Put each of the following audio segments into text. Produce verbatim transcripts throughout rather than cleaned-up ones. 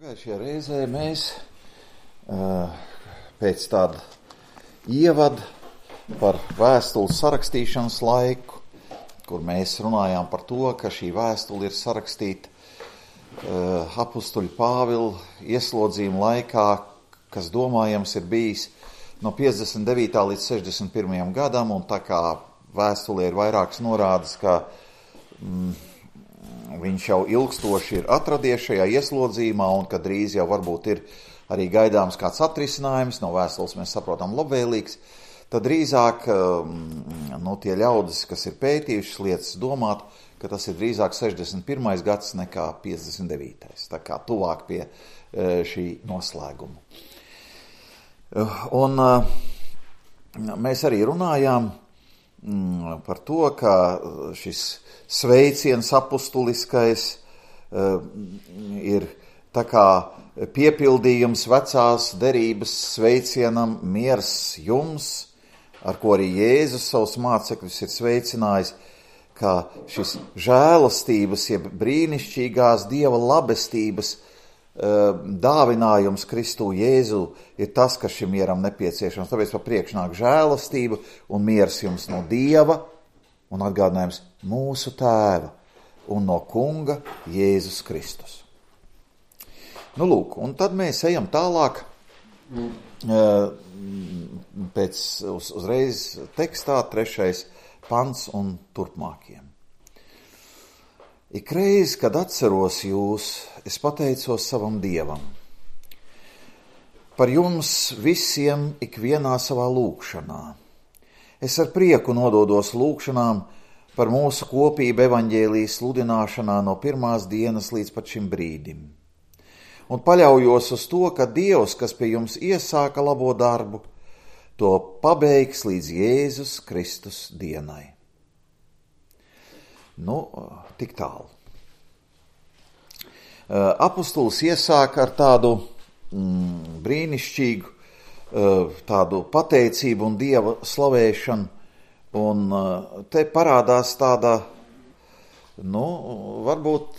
Pagājušajā reizē mēs pēc tāda ievada par vēstules sarakstīšanas laiku, kur mēs runājām par to, ka šī vēstule ir sarakstīta apustuļa Pāvila ieslodzījuma laikā, kas domājams ir bijis no piecdesmit devītā līdz sešdesmit pirmajam gadam, un tā kā vēstulē ir vairākas norādes, ka mm, viņš jau ilgstoši ir atradies šajā ieslodzījumā, un ka drīz jau varbūt ir arī gaidāms kāds atrisinājums, no vēstules mēs saprotam labvēlīgs, tad drīzāk nu, tie ļaudis, kas ir pētījušas lietas, domāt, ka tas ir drīzāk sešdesmit pirmais gads nekā piecdesmit devītais, tā kā tuvāk pie šī noslēguma. Un mēs arī runājām par to, ka šis sveiciens apustuliskais ir tā kā piepildījums vecās derības sveicienam miers jums, ar ko arī Jēzus savus mācekļus ir sveicinājis, ka šis žēlastības, jeb brīnišķīgās Dieva labestības dāvinājums Kristu Jēzu ir tas, kas šim mieram nepieciešams. Tāpēc pa priekšu nāk žēlastība un miers jums no Dieva un atgādinājums mūsu Tēva un no Kunga Jēzus Kristus. Nu lūk, un tad mēs ejam tālāk pēc uz, uzreiz tekstā trešais pants un turpmākiem. Ikreiz, kad atceros jūs, es pateicos savam Dievam. Par jums visiem ikvienā savā lūgšanā. Es ar prieku nododos lūgšanām par mūsu kopību evaņģēlijas sludināšanā no pirmās dienas līdz pat šim brīdim. Un paļaujos uz to, ka Dievs, kas pie jums iesāka labo darbu, to pabeigs līdz Jēzus Kristus dienai. Nu, tik tālu. Apustulis iesāka ar tādu mm, brīnišķīgu tādu pateicību un Dieva slavēšanu, un te parādās tāda, nu, varbūt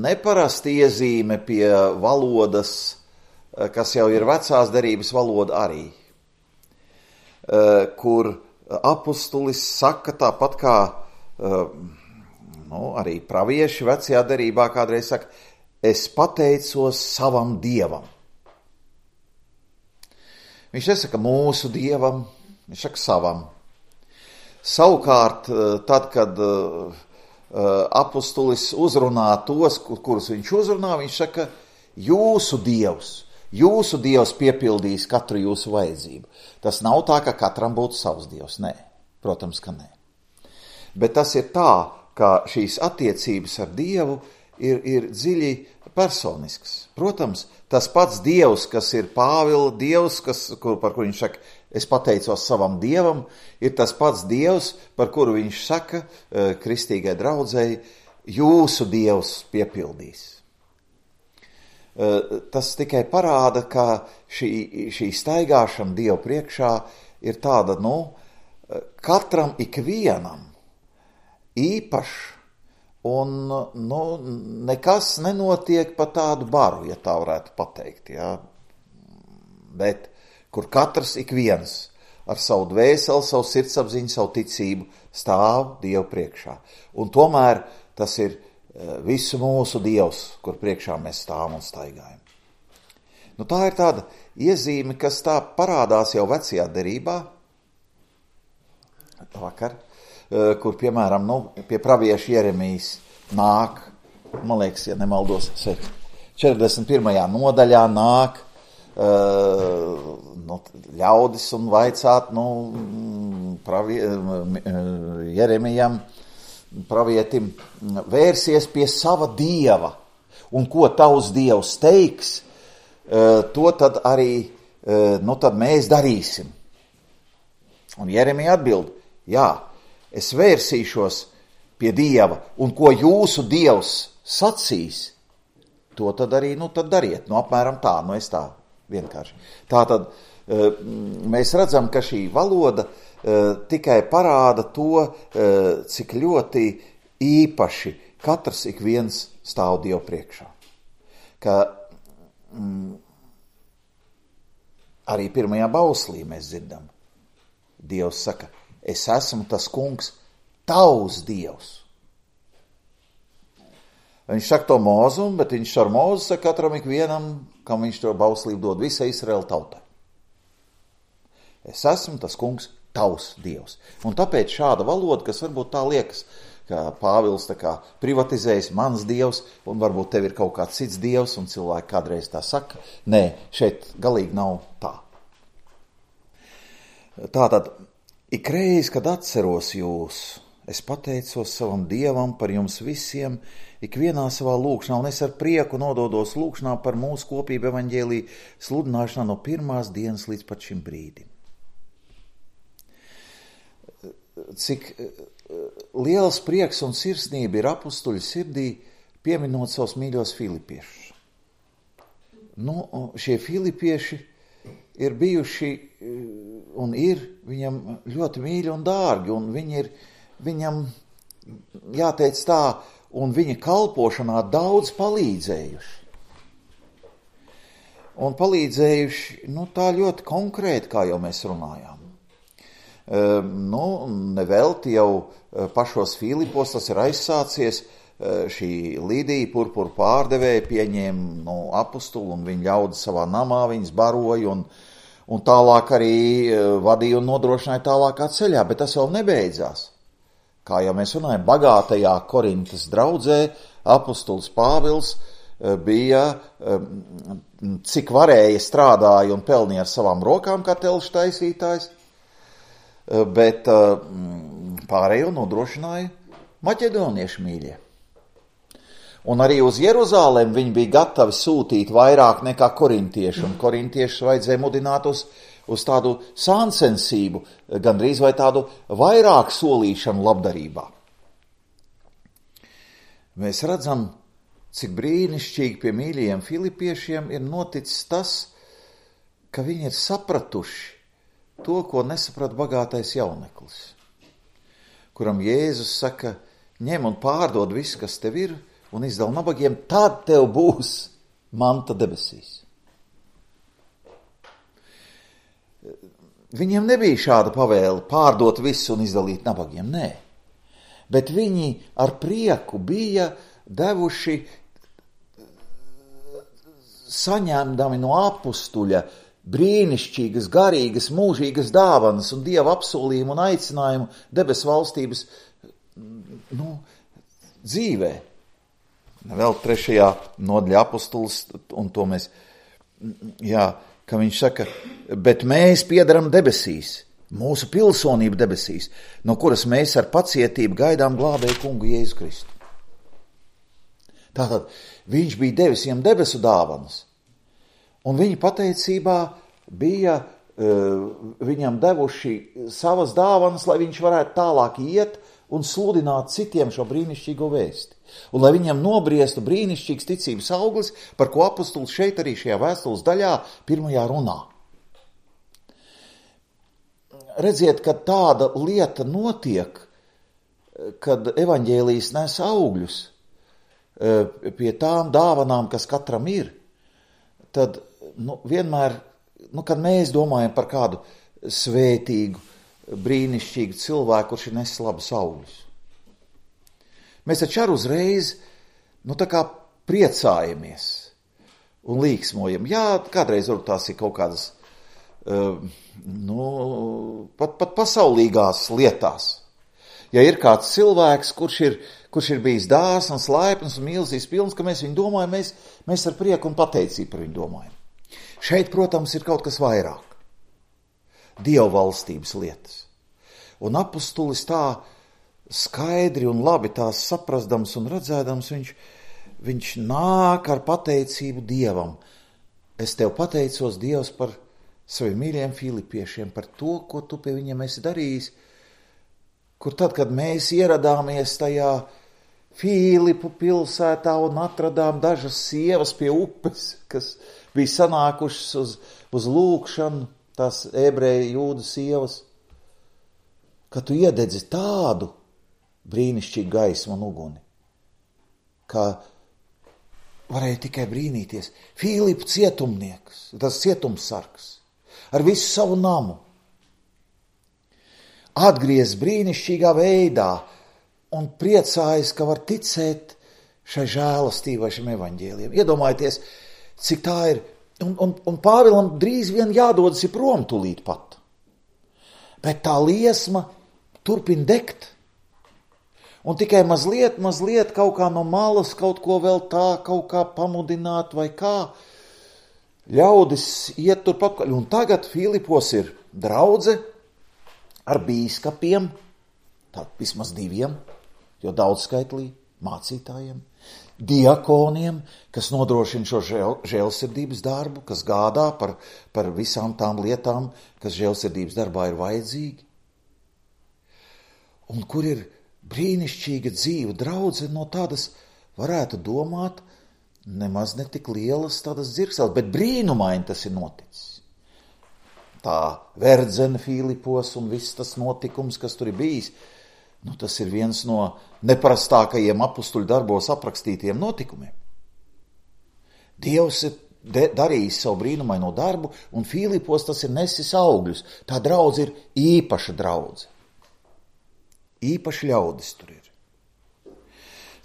neparasta iezīme pie valodas, kas jau ir vecās derības valoda arī, kur apustulis saka tāpat kā nu, arī pravieši vecajā derībā kādreiz saka, es pateicos savam Dievam. Viņš nesaka mūsu Dievam, viņš saka savam. Savukārt, tad, kad apustulis uzrunā tos, kurus viņš uzrunā, viņš saka, jūsu Dievs, jūsu Dievs piepildīs katru jūsu vajadzību. Tas nav tā, ka katram būtu savs Dievs, nē, protams, ka nē. Bet tas ir tā, ka šīs attiecības ar Dievu ir, ir dziļi personisks. Protams, tas pats Dievs, kas ir Pāvila Dievs, kas, kur, par kuru viņš saka, es pateicos savam Dievam, ir tas pats Dievs, par kuru viņš saka kristīgai draudzei, jūsu Dievs piepildīs. Tas tikai parāda, ka šī, šī staigāšana Dievu priekšā ir tāda, nu, katram ikvienam īpašs, un nu, nekas nenotiek pa tādu baru, ja tā varētu pateikt, ja? Bet kur katrs ik viens ar savu dvēseli, savu sirdsapziņu, savu ticību stāv Dievu priekšā. Un tomēr tas ir visu mūsu Dievs, kur priekšā mēs stāvam un staigājam. Nu, tā ir tāda iezīme, kas tā parādās jau vecajā derībā, vakar, kur, piemēram, nu, pie pravieša Jeremijas nāk, man liekas, ja nemaldos, četrdesmit pirmajā nodaļā nāk uh, nu, ļaudis un vaicāt, nu, pravie, Jeremijam, pravietim, vērsies pie sava Dieva, un ko tavs Dievs teiks, uh, to tad arī, uh, nu, tad mēs darīsim. Un Jeremija atbild, jā, es vērsīšos pie Dieva, un ko jūsu Dievs sacīs, to tad arī, nu, tad dariet. Nu, apmēram tā, nu, es tā vienkārši. Tātad mēs redzam, ka šī valoda tikai parāda to, cik ļoti īpaši katrs ik viens stāv Dievu priekšā. ka mm, arī pirmajā bauslī mēs dzirdam. Dievs saka, es esmu tas kungs, tavs Dievs. Viņš saka to Mozum, bet viņš ar Mozu saka katram ikvienam, kam viņš to bauslību dod, visai Izraēla tautai. Es esmu tas kungs, tavs Dievs. Un tāpēc šāda valoda, kas varbūt tā liekas, ka Pāvils tā kā privatizējas mans Dievs, un varbūt tev ir kaut kāds cits Dievs, un cilvēki kādreiz tā saka. Nē, šeit galīgi nav tā. Tātad, ikreiz, kad atceros jūs, es pateicos savam Dievam par jums visiem, ikvienā savā lūkšanā, un es ar prieku nododos lūkšanā par mūsu kopību evaņģēliju sludināšanā no pirmās dienas līdz pat šim brīdim. Cik liels prieks un sirsnība ir apustuļu sirdī, pieminot savus mīļos filipiešus. Nu, šie filipieši ir bijuši un ir viņam ļoti mīļi un dārgi, un viņi ir viņam, jāteic tā, un viņa kalpošanā daudz palīdzējuši. Un palīdzējuši, nu, tā ļoti konkrēti, kā jau mēs runājām. Uh, nu, nevelti jau pašos Filipos tas ir aizsācies, uh, šī Lidija purpuru pārdevēja pieņēma nu, apustulu un viņa ļaudis savā namā, viņas baroja un, un tālāk arī uh, vadīja un nodrošināja tālākā ceļā, bet tas vēl nebeidzās. Kā jau mēs runājam, bagātajā Korintas draudzē apustulis Pāvils uh, bija, uh, cik varēja strādāja un pelnīja ar savām rokām kā telšu taisītājs, bet pārējo nodrošināja maķedoniešu mīļie. Un arī uz Jeruzālēm viņi bija gatavi sūtīt vairāk nekā korintieši, un korintiešus vajadzēja mudināt uz, uz tādu sāncensību, gandrīz vai tādu vairāk solīšanu labdarībā. Mēs redzam, cik brīnišķīgi pie mīļajiem filipiešiem ir noticis tas, ka viņi ir sapratuši to, ko nesaprat bagātais jauneklis, kuram Jēzus saka, ņem un pārdod visu, kas tev ir, un izdal nabagiem, tad tev būs manta debesīs. Viņiem nebija šāda pavēle pārdot visu un izdalīt nabagiem, nē. Bet viņi ar prieku bija devuši, saņemdami no apustuļa brīnišķīgas, garīgas, mūžīgas dāvanas un Dieva apsolījumu un aicinājumu debesu valstības nu, dzīvē. Vēl trešajā nodaļā apustulis, un to mēs, jā, ka viņš saka, bet mēs piedaram debesīs, mūsu pilsonība debesīs, no kuras mēs ar pacietību gaidām glābēju kungu Jēzu Kristu. Tātad viņš bija devis viņam debesu dāvanas, un viņa pateicībā bija uh, viņam devuši savas dāvanas, lai viņš varētu tālāk iet un sludināt citiem šo brīnišķīgo vēsti. Un lai viņam nobriestu brīnišķīgs ticības auglis, par ko apustulis šeit arī šajā vēstules daļā pirmajā runā. Redziet, ka tāda lieta notiek, kad evaņģēlijs nes augļus uh, pie tām dāvanām, kas katram ir, tad nu, vienmēr, nu, kad mēs domājam par kādu svētīgu, brīnišķīgu cilvēku, kurš ir nesis labus augļus, mēs taču ar uzreiz, nu, tā kā priecājamies un līksmojam. Jā, kādreiz varbūt tās ir kaut kādas, uh, nu, pat, pat pasaulīgās lietās. Ja ir kāds cilvēks, kurš ir, kurš ir bijis dāsns, laipns un mīlestības pilns, ka mēs viņu domājam, mēs, mēs ar prieku un pateicību par viņu domājam. Šeit, protams, ir kaut kas vairāk. Dieva valstības lietas. Un apustulis tā skaidri un labi tās saprastams un redzēdams, viņš, viņš nāk ar pateicību Dievam. Es tev pateicos, Dievs, par saviem mīļiem filipiešiem, par to, ko tu pie viņiem esi darījis, kur tad, kad mēs ieradāmies tajā Filipu pilsētā un atradām dažas sievas pie upes, kas bija sanākušas uz, uz lūkšanu, tās ebreju jūdu sievas, ka tu iededzi tādu brīnišķīgu gaismu un uguni, ka varēja tikai brīnīties. Filipu cietumnieks, tas cietumsargs, ar visu savu namu, atgriez brīnišķīgā veidā un priecājas, ka var ticēt šai žēlastībai, šim evaņģēlijam. Iedomājieties, cik tā ir, un, un, un Pāvilam drīz vien jādodas ir prom tūlīt pat. Bet tā liesma turpin degt. Un tikai mazliet, mazliet kaut kā no malas, kaut ko vēl tā, kaut kā pamudināt vai kā. Ļaudis iet turpat. Un tagad Filipos ir draudze ar bīskapiem, tā vismaz diviem, jo daudzskaitlī mācītājiem, diakoniem, kas nodrošina šo žēl, žēlsirdības darbu, kas gādā par, par visām tām lietām, kas žēlsirdības darbā ir vajadzīgi. Un kur ir brīnišķīga dzīve, draudze no tādas, varētu domāt, nemaz ne tik lielas tādas dzirksēles, bet brīnumaini tas ir noticis. Tā verdzene Filipos un viss tas notikums, kas tur ir bijis, nu, tas ir viens no neparastākajiem apustuļu darbos aprakstītiem notikumiem. Dievs ir darījis savu brīnumaino darbu, un Filipos tas ir nesis augļus. Tā draudze ir īpaša draudze. Īpaši ļaudis tur ir.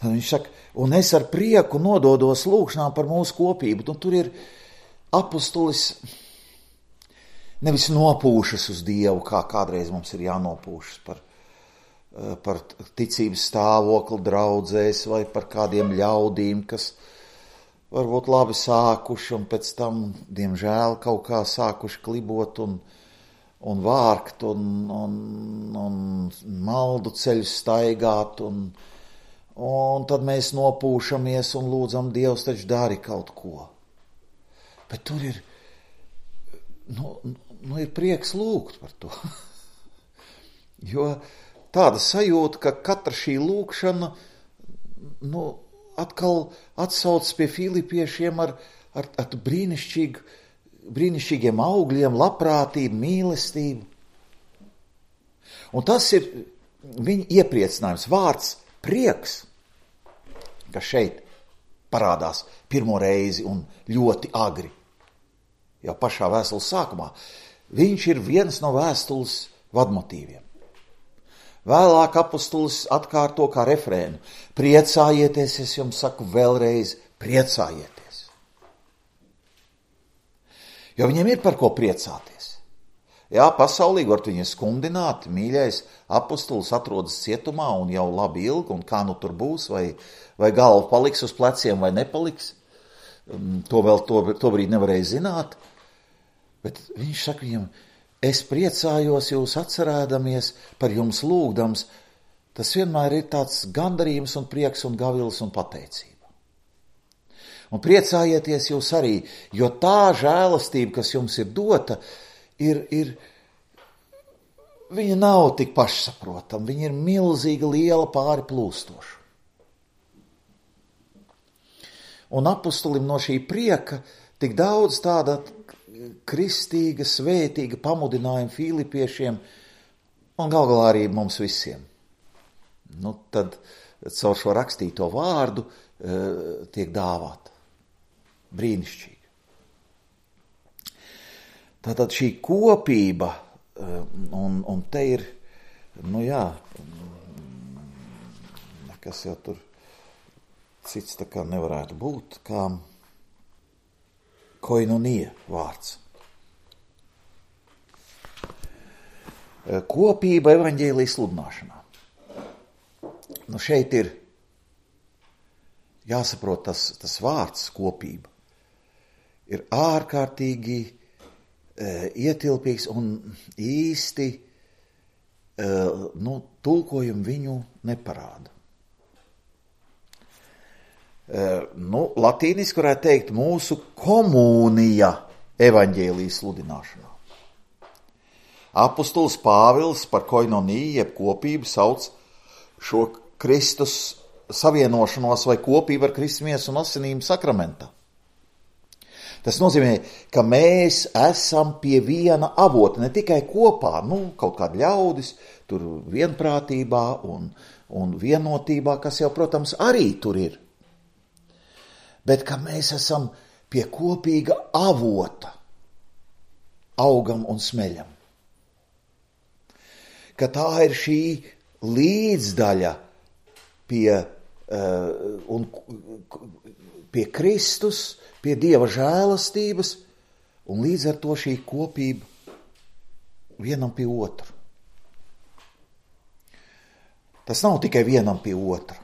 Tad viņš saka, un es ar prieku nododos lūkšanām par mūsu kopību. Un tur ir apustulis nevis nopūšas uz Dievu, kā kādreiz mums ir jānopūšas par, par ticības stāvokli draudzēs vai par kādiem ļaudīm, kas varbūt labi sākuši un pēc tam, diemžēl, kaut kā sākuši klibot un un vārkt, un, un, un maldu ceļu staigāt, un, un tad mēs nopūšamies un lūdzam, Dievs taču dari kaut ko. Bet tur ir, nu, nu ir prieks lūgt par to. Jo tāda sajūta, ka katra šī lūkšana, nu, atkal atsauc pie filipiešiem ar, ar, ar brīnišķīgu, brīnišķīgiem augļiem, labprātību, mīlestību. Un tas ir viņa iepriecinājums, vārds prieks, kas šeit parādās pirmo reizi un ļoti agri, jau pašā vēstules sākumā. Viņš ir viens no vēstules vadmotīviem. Vēlāk apustulis atkārto kā refrēnu. Priecājieties, es jums saku vēlreiz, priecājieties. Jo viņiem ir par ko priecāties. Jā, pasaulīgi var viņu skumdināt, mīļais apustulis atrodas cietumā un jau labi ilgi, un kā nu tur būs, vai, vai galva paliks uz pleciem vai nepaliks. To vēl to, to brīdi nevarēja zināt. Bet viņš saka viņam, es priecājos jūs atcerēdamies par jums lūgdams. Tas vienmēr ir tāds gandarījums un prieks un gavils un pateicība. Un priecājieties jūs arī, jo tā žēlastība, kas jums ir dota, ir, ir, viņa nav tik pašsaprotama, viņa ir milzīga, liela, pāri plūstoša. Un apustulim no šī prieka tik daudz tāda kristīga, svētīga pamudinājuma filipiešiem un gal galā arī mums visiem. Nu, tad caur šo rakstīto vārdu uh, tiek dāvāta. Brīnišķīgi. Tātad šī kopība, un, un te ir, nu jā, kas jau tur cits tā kā nevarētu būt, kā koinonia vārds. Kopība evaņģēlija sludināšanā. Nu šeit ir jāsaprot tas, tas vārds kopība. Ir ārkārtīgi e, ietilpīgs un īsti e, nu, tulkojumu viņu neparāda. E, nu, latīniski varētu teikt mūsu komunija evaņģēlijas sludināšanā. Apustulis Pāvils par koinoniju, jeb kopību sauc šo Kristus savienošanos vai kopību ar Kristus miesu un asinīm sakramentā. Tas nozīmē, ka mēs esam pie viena avota, ne tikai kopā, nu, kaut kādi ļaudis, tur vienprātībā un, un vienotībā, kas jau, protams, arī tur ir. bet ka mēs esam pie kopīga avota, augam un smeļam. Ka tā ir šī līdzdaļa pie, uh, un, pie Kristus, pie Dieva žēlastības, un līdz ar to šī kopība vienam pie otra. Tas nav tikai vienam pie otra.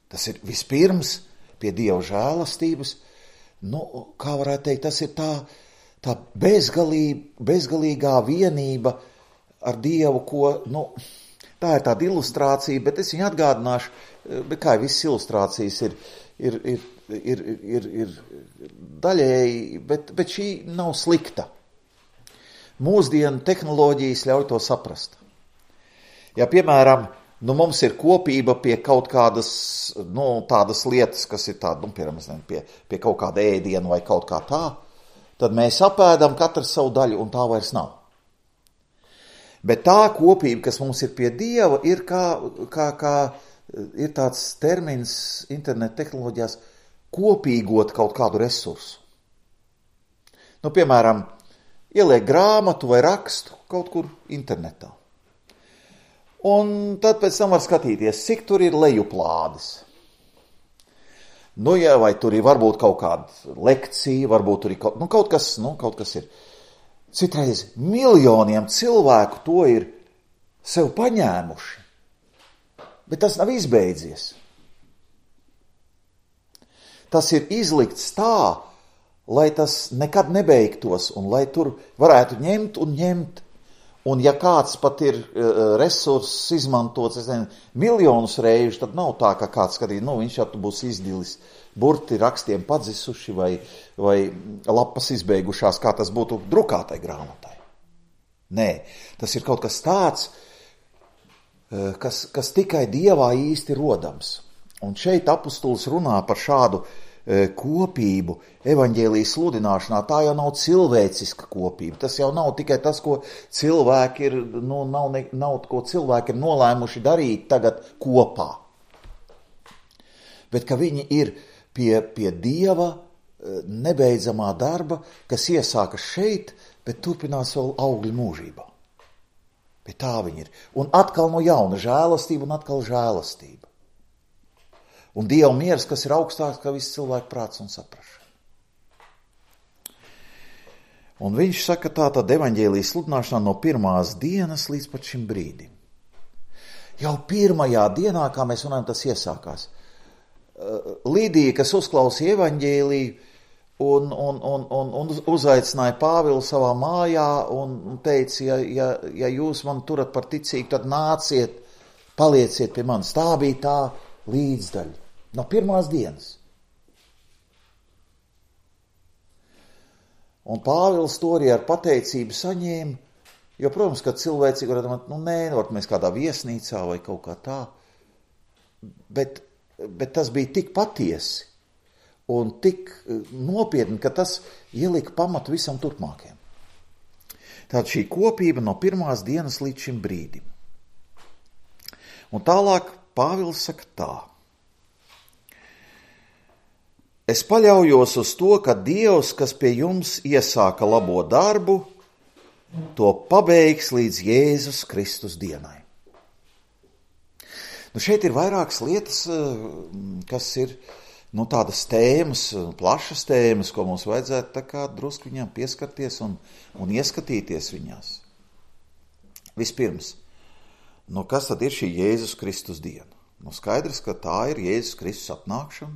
Tas ir vispirms pie Dieva žēlastības. Nu, kā varētu teikt, tas ir tā, tā bezgalī, bezgalīgā vienība ar Dievu, ko, nu, tā ir tāda ilustrācija, bet es viņu atgādināšu, bet kā visas ilustrācijas ir, ir, ir, ir, ir, ir daļēji, bet, bet šī nav slikta. Mūsdienu tehnoloģijas ļauj to saprast. Ja, piemēram, nu, mums ir kopība pie kaut kādas, nu, tādas lietas, kas ir tāda, nu, piemēram, pie, pie kaut kāda ēdiena vai kaut kā tā, tad mēs apēdam katrs savu daļu, un tā vairs nav. Bet tā kopība, kas mums ir pie Dieva, ir kā, kā, kā ir tāds termins internet tehnoloģijās, kopīgot kaut kādu resursu. Nu, piemēram, ieliek grāmatu vai rakstu kaut kur internetā. Un tad pēc tam var skatīties, cik tur ir lejuplādes. Nu, ja, vai tur ir varbūt kaut kāda lekcija, varbūt tur ir kaut, nu, kaut kas, nu, kaut kas ir. Citreiz miljoniem cilvēku to ir sev paņēmuši, bet tas nav izbeidzies. Tas ir izlikts tā, lai tas nekad nebeigtos un lai tur varētu ņemt un ņemt. Un ja kāds pat ir uh, resurss izmantots, es nezinu, miljonus reižu, tad nav tā, ka kāds skatīt, nu, viņš jau būs izdilis, burti rakstiem padzisuši vai, vai lapas izbeigušās, kā tas būtu drukātai grāmatai. Nē, tas ir kaut kas tāds, uh, kas, kas tikai Dievā īsti rodams. Un šeit apustulis runā par šādu uh, kopību evaņģēlijas sludināšanā. Tā jau nav cilvēciska kopība. Tas jau nav tikai tas, ko cilvēki ir, nu, nav, ne, nav, ko cilvēki ir nolēmuši darīt tagad kopā. Bet ka viņi ir pie, pie Dieva nebeidzamā darba, kas iesākas šeit, bet turpinās vēl augļu mūžībā. Pie tā viņi ir. Un atkal no jauna žēlastība un atkal žēlastība. Un Dieva miers, kas ir augstāks kā viss cilvēku prāts un saprašana. Un viņš saka tā tad evaņģēlijas sludināšanā no pirmās dienas līdz pat šim brīdim. Jau pirmajā dienā, kā mēs runājam, tas iesākās. Līdija, kas uzklausīja evaņģēliju un, un, un, un, un uzaicināja Pāvilu savā mājā un teica, ja, ja, ja jūs man turat par ticīgu, tad nāciet, palieciet pie manis. Tā bija tā līdzdaļa no pirmās dienas. Un Pāvils to arī ar pateicību saņēma, jo, protams, kad cilvēcīgi var domāt, nu nē, varbūt mēs kādā viesnīcā vai kaut kā tā, bet, bet tas bija tik patiesi un tik nopietni, ka tas ielika pamatu visam turpmākajam. Tātad šī kopība no pirmās dienas līdz šim brīdim. Un tālāk Pāvils saka tā. Es paļaujos uz to, ka Dievs, kas pie jums iesāka labo darbu, to pabeigs līdz Jēzus Kristus dienai. Nu, šeit ir vairākas lietas, kas ir, nu, tādas tēmas, plašas tēmas, ko mums vajadzētu tā kā drusku viņām pieskarties un, un ieskatīties viņās. Vispirms, nu, kas tad ir šī Jēzus Kristus diena? Nu, skaidrs, ka tā ir Jēzus Kristus atnākšana.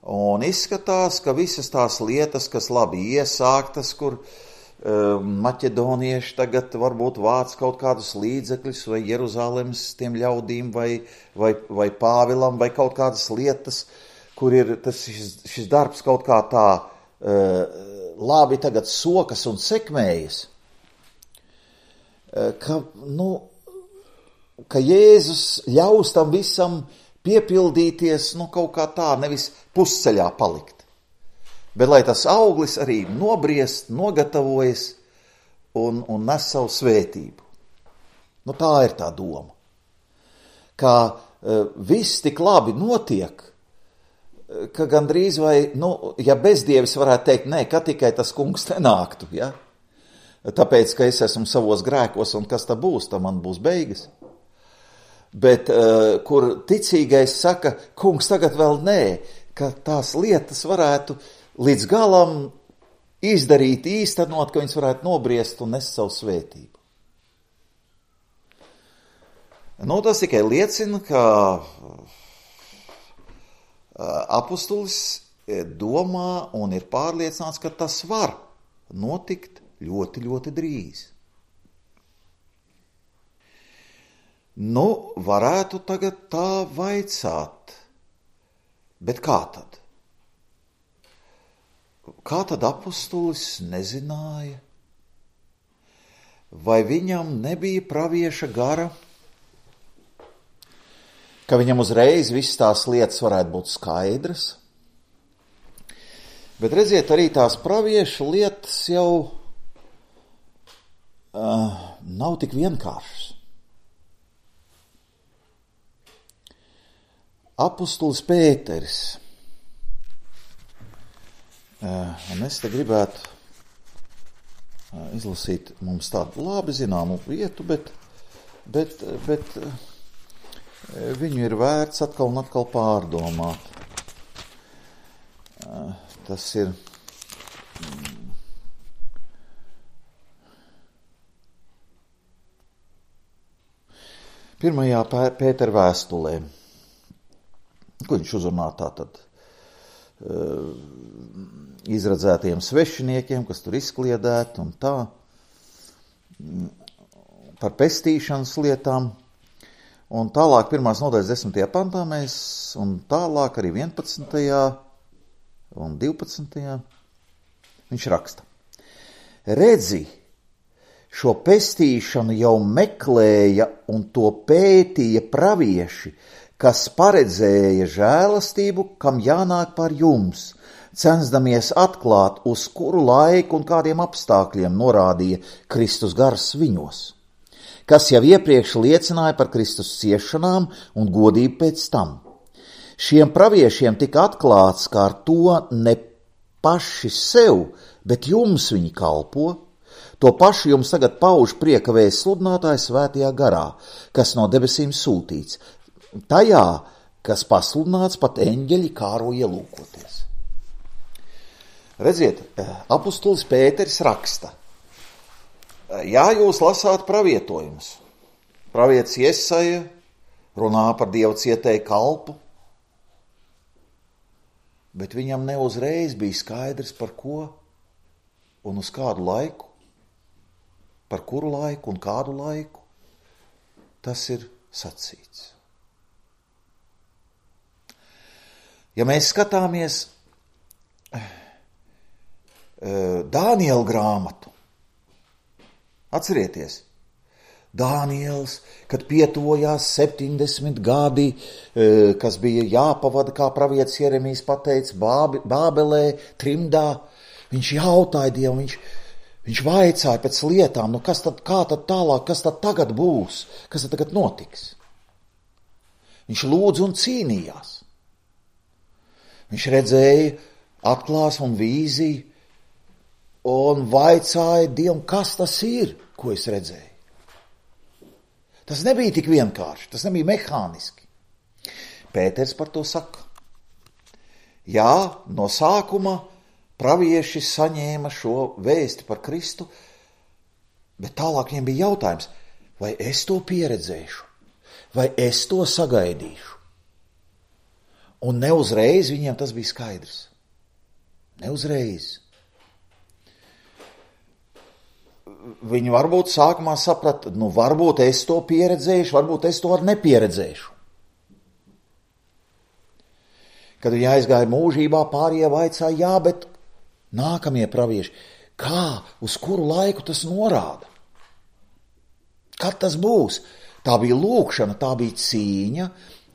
Un izskatās, ka visas tās lietas, kas labi iesāktas, kur uh, maķedonieši tagad varbūt vāc kaut kādus līdzekļus vai Jeruzalemes tiem ļaudīm vai, vai, vai Pāvilam vai kaut kādas lietas, kur ir tas, šis, šis darbs kaut kā tā uh, labi tagad sokas un sekmējas, uh, ka, nu, ka Jēzus ļaus tam visam piepildīties, nu, kaut kā tā, nevis pusceļā palikt. Bet lai tas auglis arī nobriest, nogatavojas un, un nes savu svētību. Nu, tā ir tā doma. Kā uh, viss tik labi notiek, ka gandrīz vai, nu, ja bezdievis varētu teikt, nē, ka tikai tas kungs nenāktu, ja? Tāpēc, ka es esmu savos grēkos un kas tā būs, tā man būs beigas. Bet, uh, kur ticīgais saka, kungs tagad vēl nē, ka tās lietas varētu līdz galam izdarīt, īstenot, ka viņas varētu nobriest un nest savu svētību. Nu, tas tikai liecina, ka apustulis domā un ir pārliecināts, ka tas var notikt ļoti, ļoti drīz. Nu, varētu tagad tā vaicāt, bet kā tad? Kā tad apustulis nezināja? Vai viņam nebija pravieša gara? Ka viņam uzreiz viss tās lietas varētu būt skaidras. Bet redziet, arī tās pravieša lietas jau uh, nav tik vienkāršas. Apustulis Pēteris. Uh, un es te gribētu uh, izlasīt mums tādu labi zināmu vietu, bet, bet, bet uh, viņu ir vērts atkal un atkal pārdomāt. Tas ir pirmajā Pētera vēstulē, ko viņš uzrunā tātad izredzētiem svešiniekiem, kas tur izkliedēti un tā, par pestīšanas lietām. Un tālāk pirmās nodaļas desmitajā pantā mēs, un tālāk arī vienpadsmitajā un divpadsmitajā viņš raksta. Redzi, šo pestīšanu jau meklēja un to pētīja pravieši, kas paredzēja žēlastību, kam jānāk par jums, censdamies atklāt, uz kuru laiku un kādiem apstākļiem norādīja Kristus gars viņos, kas jau iepriekš liecināja par Kristus ciešanām un godību pēc tam. Šiem praviešiem tika atklāts, ka ar to ne paši sev, bet jums viņi kalpo. To pašu jums tagad pauž prieka vēsts sludinātājs svētajā garā, kas no debesīm sūtīts. Tajā, kas pasludināts, pat eņģeļi kāro ielūkoties. Redziet, apustulis Pēteris raksta. Jā, jūs lasāt pravietojumus. Pravietis Jesaja runā par Dievu cietēju kalpu, bet viņam neuzreiz bija skaidrs, par ko un uz kādu laiku, par kuru laiku un kādu laiku tas ir sacīts. Ja mēs skatāmies Dāniela grāmatu, atcerieties, Dāniels, kad pietuvojās septiņdesmit gadi, kas bija jāpavada, kā pravietis Jeremijs pateica, Bābelē, trimdā, viņš jautāja Dievu, viņš, viņš vaicāja pēc lietām, nu kas tad, kā tad tālāk, kas tad tagad būs, kas tad tagad notiks. Viņš lūdza un cīnījās. Viņš redzēja atklāsmu un vīziju un vaicāja Dievam, kas tas ir, ko es redzēju. Tas nebija tik vienkārši, tas nebija mehāniski. Pēters par to saka. Jā, no sākuma pravieši saņēma šo vēsti par Kristu, bet tālāk viņiem bija jautājums, vai es to pieredzēšu, vai es to sagaidīšu. Un neuzreiz viņiem tas bija skaidrs. Neuzreiz. Viņi varbūt sākumā saprata, nu varbūt es to pieredzēšu, varbūt es to arī nepieredzēšu. Kad viņi aizgāja mūžībā, pārējie vaicāja, jā, bet nākamie pravieši, kā, uz kuru laiku tas norāda? Kad tas būs? Tā bija lūkšana, tā bija cīņa,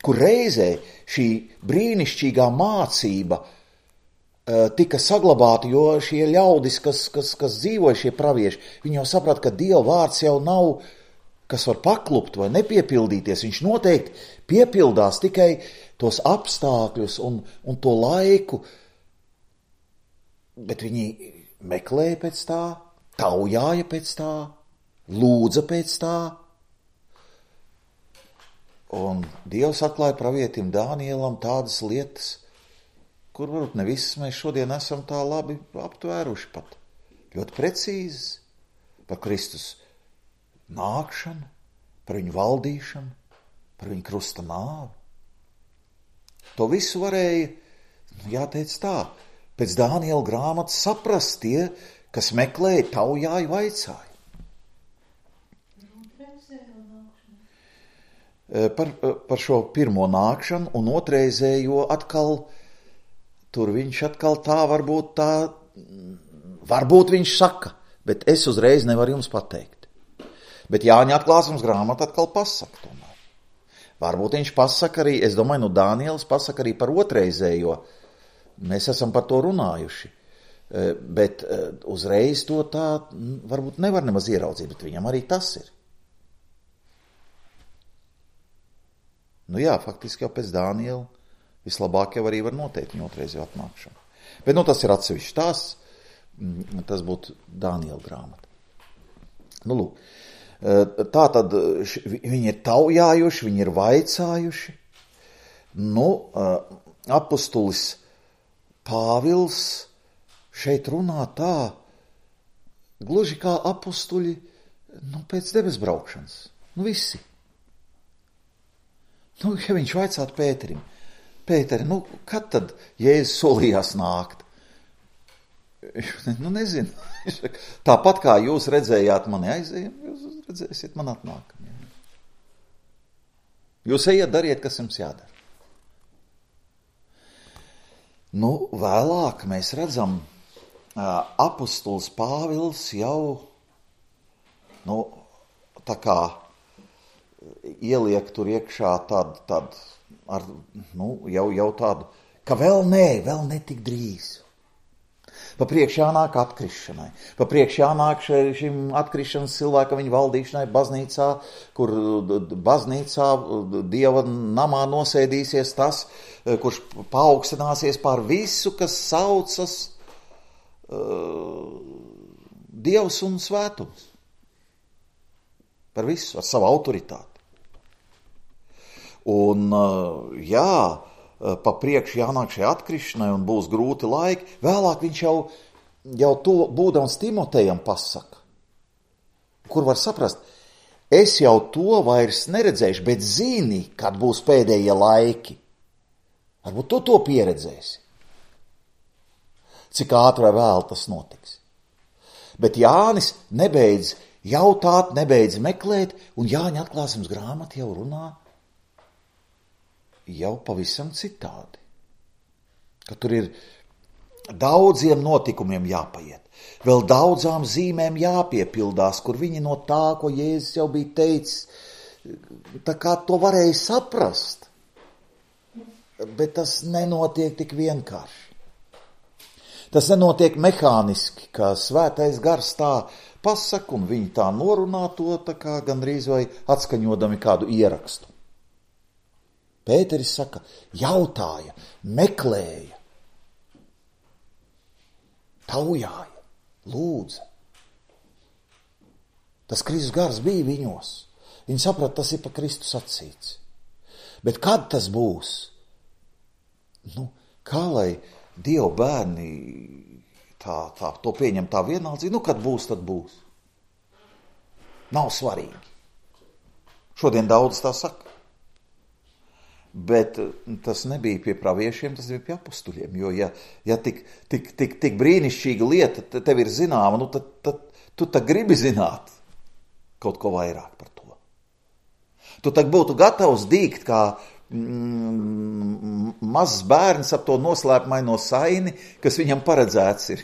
kur reizē šī brīnišķīgā mācība tika saglabāti, jo šie ļaudis, kas, kas, kas dzīvoja šie pravieši, viņi jau saprata, ka Dieva vārds jau nav, kas var paklupt vai nepiepildīties. Viņš noteikti piepildās tikai tos apstākļus un, un to laiku, bet viņi meklēja pēc tā, taujāja pēc tā, lūdza pēc tā. Un Dievs atklāja pravietim Dānielam tādas lietas, kur varbūt ne visas mēs šodien esam tā labi aptvēruši pat. Ļoti precīzas par Kristus nākšanu, par viņu valdīšanu, par viņu krusta nāvi. To visu varēja, jāteic tā, pēc Dāniela grāmatas saprast tie, kas meklēja, taujāja, vaicāja. Par, par šo pirmo nākšanu un otrreizējo atkal, tur viņš atkal tā varbūt tā, varbūt viņš saka, bet es uzreiz nevaru jums pateikt. Bet Jāņa atklāsmes grāmata atkal pasaka tomēr. Varbūt viņš pasaka arī, es domāju, nu Dāniels pasaka arī par otrreizējo. Mēs esam par to runājuši. Bet uzreiz to tā varbūt nevar nemaz ieraudzīt, bet viņam arī tas ir. Nu jā, faktiski jau pēc Dāniela vislabāk jau arī var noteikt viņa otrreizējo atnākšanu. Bet nu tas ir atsevišķi tās, tas būtu Dāniela grāmata. Nu lūk. Tā tad viņi ir taujājuši, viņi ir vaicājuši. Nu, apustulis Pāvils šeit runā tā, gluži kā apustuļi, nu, pēc debes braukšanas. Nu, visi. Nu, ja viņš vaicātu Pēterim, Pēteri, nu, kad tad Jēzus solījās nākt? Nu, nezinu. Tāpat kā jūs redzējāt mani aizējam, jūs redzēsiet man atnākam. Jūs ejiet, dariet, kas jums jādara. Nu, vēlāk mēs redzam, apustulis Pāvils jau, nu, tā kā ieliek tur iekšā tādu, tādu, ar, nu, jau, jau tādu, ka vēl nē, vēl netik drīz. Pa priekš jānāk atkrišanai, pa priekš jānāk šim atkrišanas cilvēkam viņa valdīšanai baznīcā, kur baznīcā Dieva namā nosēdīsies tas, kurš paaugstināsies pār visu, kas saucas uh, Dievs un svētums. Par visu, ar savu autoritāti. Un uh, jā, pa priekšu jānāk šai atkrišanai un būs grūti laiki. Vēlāk viņš jau, jau to būdams Timotejam pasaka, kur var saprast, es jau to vairs neredzēšu, bet zini, kad būs pēdējie laiki. Varbūt tu to pieredzēsi. Cik ātri vai vēl tas notiks. Bet Jānis nebeidz jautāt, nebeidz meklēt, un Jāņa atklāsmes grāmata jau runā jau pavisam citādi. Ka tur ir daudziem notikumiem jāpaiet, vēl daudzām zīmēm jāpiepildās, kur viņi no tā, ko Jēzus jau bija teicis, tā kā to varēja saprast, bet tas nenotiek tik vienkārši. Tas nenotiek mehāniski, kā svētais gars tā pasaka, un viņi tā norunā to, tā kā gandrīz vai atskaņodami kādu ierakstu. Pēteris saka, jautāja, meklēja, taujāja, lūdza. Tas Kristus gars bija viņos. Viņi saprata, tas ir pa Kristus sacīts. Bet kad tas būs? Nu, kā lai Dieva bērni tā, tā, to pieņem tā vienaldzīgi? Nu, kad būs, tad būs. Nav svarīgi. Šodien daudz tā saka. Bet tas nebija pie praviešiem, tas bija pie apustuļiem. Jo, ja, ja tik, tik, tik, tik brīnišķīga lieta tev ir zināma, nu tad, tad tu tad gribi zināt kaut ko vairāk par to. Tu tad būtu gatavs dīgt, kā mm, mazs bērns ap to noslēpmaino saini, kas viņam paredzēts ir.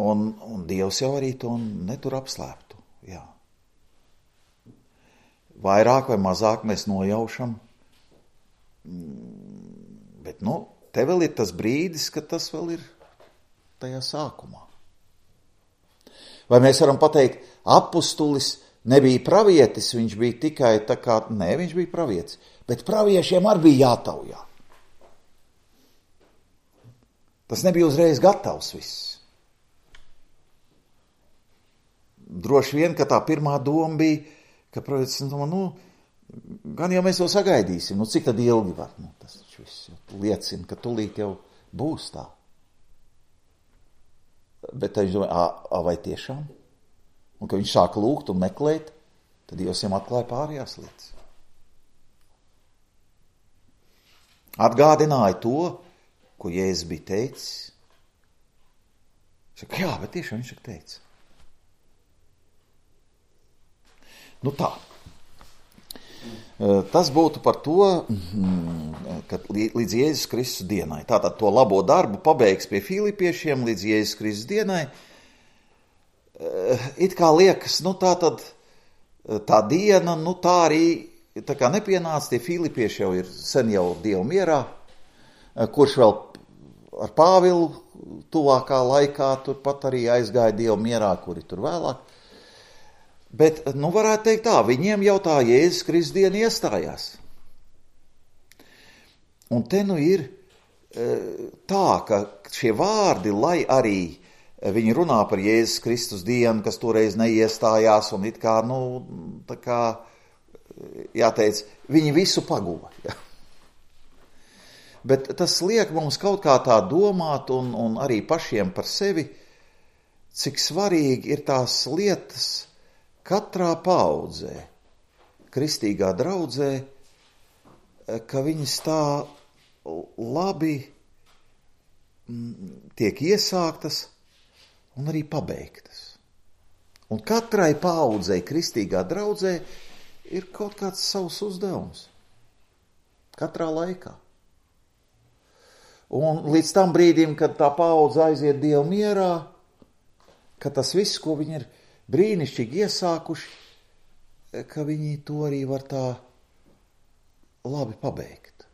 un, un Dievs jau arī to netur apslēptu. Jā. Vairāk vai mazāk mēs nojaušam, bet, nu, te vēl ir tas brīdis, ka tas vēl ir tajā sākumā. Vai mēs varam pateikt, apustulis nebija pravietis, viņš bija tikai tā kā, nē, viņš bija pravietis, bet praviešiem arī bija jātaujā. Tas nebija uzreiz gatavs viss. Droši vien, ka tā pirmā doma bija, ka pravietis, nu, nu, gan jau mēs to sagaidīsim, nu, cik tad ilgi var, nu, tas viss liecina, ka tulīt jau būs tā. Bet viņš domāja, a, a vai tiešām? Un, kad viņš sāka lūgt un meklēt, tad Dievs viņam atklāja pārējās lietas. Atgādināja to, ko Jēzus bija teicis. Saka, jā, bet tiešām viņš teica. Nu tā. Tas būtu par to, ka līdz Jēzus Kristus dienai. Tātad to labo darbu pabeigs pie Filipiešiem līdz Jēzus Kristus dienai. It kā liekas, nu tā tad tā diena, nu tā arī tā kā nepienāca, tie Filipieši jau ir sen jau Dievu mierā, kurš vēl ar Pāvilu tuvākā laikā turpat arī aizgāja Dievu mierā, kuri tur vēlāk. Bet, nu varētu teikt tā, viņiem jau tā Jēzus Kristus diena iestājās. Un te nu ir tā, ka šie vārdi, lai arī viņi runā par Jēzus Kristus dienu, kas toreiz neiestājās, un it kā, nu, tā kā, jāteic, viņi visu paguva. Ja. Bet tas liek mums kaut kā tā domāt, un, un arī pašiem par sevi, cik svarīgi ir tās lietas katrā paudzē, kristīgā draudzē, ka viņas tā labi tiek iesāktas un arī pabeigtas. Un katrai paudzei kristīgā draudzē ir kaut kāds savs uzdevums. Katrā laikā. Un līdz tam brīdim, kad tā paudze aiziet Dievu mierā, ka tas viss, ko viņi ir brīnišķīgi iesākuši, ka viņi to arī var tā labi pabeigt.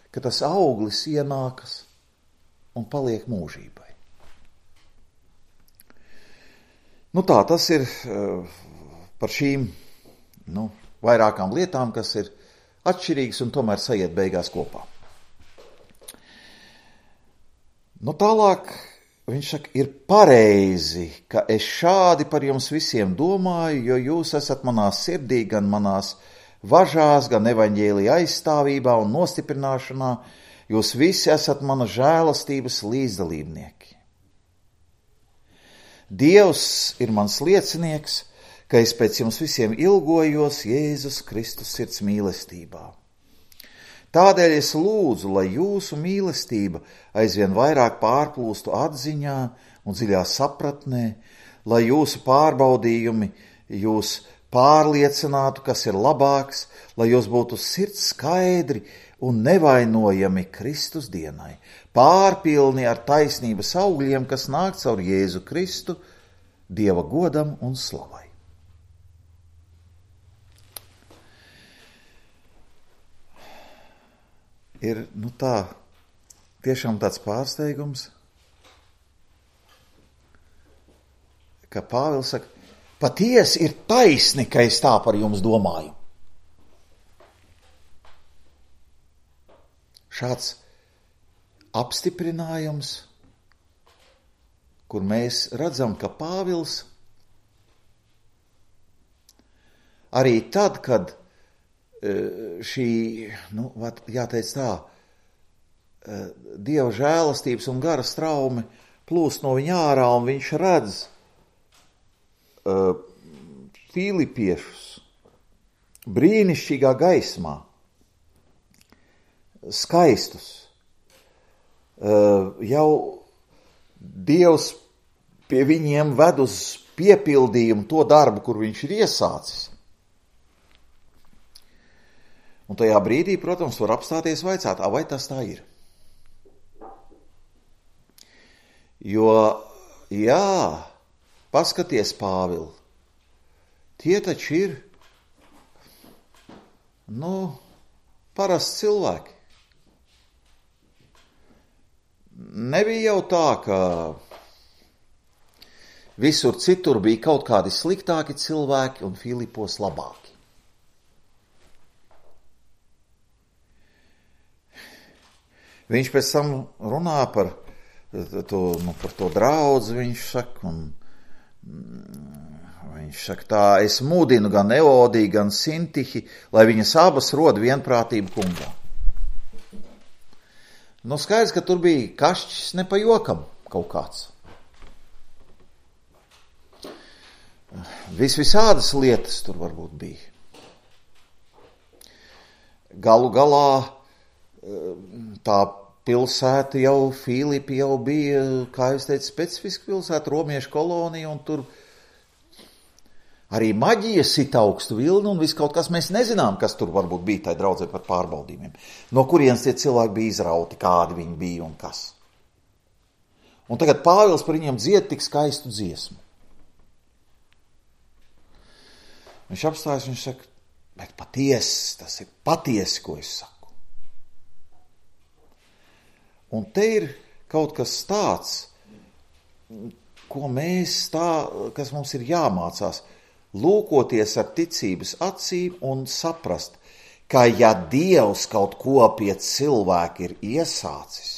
Ka tas auglis ienākas un paliek mūžībai. Nu tā, tas ir par šīm, nu, vairākām lietām, kas ir atšķirīgas un tomēr sajiet beigās kopā. Nu tālāk viņš saka, ir pareizi, ka es šādi par jums visiem domāju, jo jūs esat manā sirdī, gan manās važās, gan evaņģēlija aizstāvībā un nostiprināšanā. Jūs visi esat mana žēlastības līdzdalībnieki. Dievs ir mans liecinieks, ka es pēc jums visiem ilgojos Jēzus Kristus sirds mīlestībā. Tādēļ es lūdzu, lai jūsu mīlestība aizvien vairāk pārplūstu atziņā un dziļā sapratnē, lai jūsu pārbaudījumi jūs pārliecinātu, kas ir labāks, lai jūs būtu sirds skaidri un nevainojami Kristus dienai, pārpilni ar taisnības augļiem, kas nāk caur Jēzu Kristu, Dieva godam un slavai. Ir, nu tā, tiešām tāds pārsteigums, ka Pāvils saka, patiesi ir taisni, ka es tā par jums domāju. Šāds apstiprinājums, kur mēs redzam, ka Pāvils arī tad, kad šī, nu, jāteic tā, Dieva žēlastības un gara straumi plūst no viņa ārā, un viņš redz uh, Filipiešus brīnišķīgā gaismā, skaistus. Uh, jau Dievs pie viņiem ved uz piepildījumu to darbu, kur viņš ir iesācis. Un tajā brīdī, protams, var apstāties vaicāt, vai tas tā ir. Jo, jā, paskaties, Pāvil, tie taču ir, nu, parasti cilvēki. Nebija jau tā, ka visur citur bija kaut kādi sliktāki cilvēki un Filipos labāki. Viņš pēc tam runā par to, nu, par to draudzi, viņš saka, un viņš saka tā, es mūdinu gan Eodiju, gan Sintihi, lai viņas abas rod vienprātību kungā. Nu, skaidrs, ka tur bija kašķis ne pa jokam kaut kāds. Vis visādas lietas tur varbūt bija. Galu galā tā pilsēta jau, Filipi jau bija, kā es teicu, specifiska pilsēta, romiešu kolonija, un tur arī maģija sit augstu vilni, un viss kaut kas, mēs nezinām, kas tur varbūt bija tai draudzē par pārbaudījumiem. No kurienes tie cilvēki bija izrauti, kādi viņi bija un kas. Un tagad Pāvils par viņiem dzied tik skaistu dziesmu. Viņš apstājas, viņš saka, bet patiesi, tas ir patiesi, ko es saku. Un te ir kaut kas tāds, ko mēs tā, kas mums ir jāmācās, lūkoties ar ticības acīm un saprast, ka ja Dievs kaut ko pie cilvēka ir iesācis,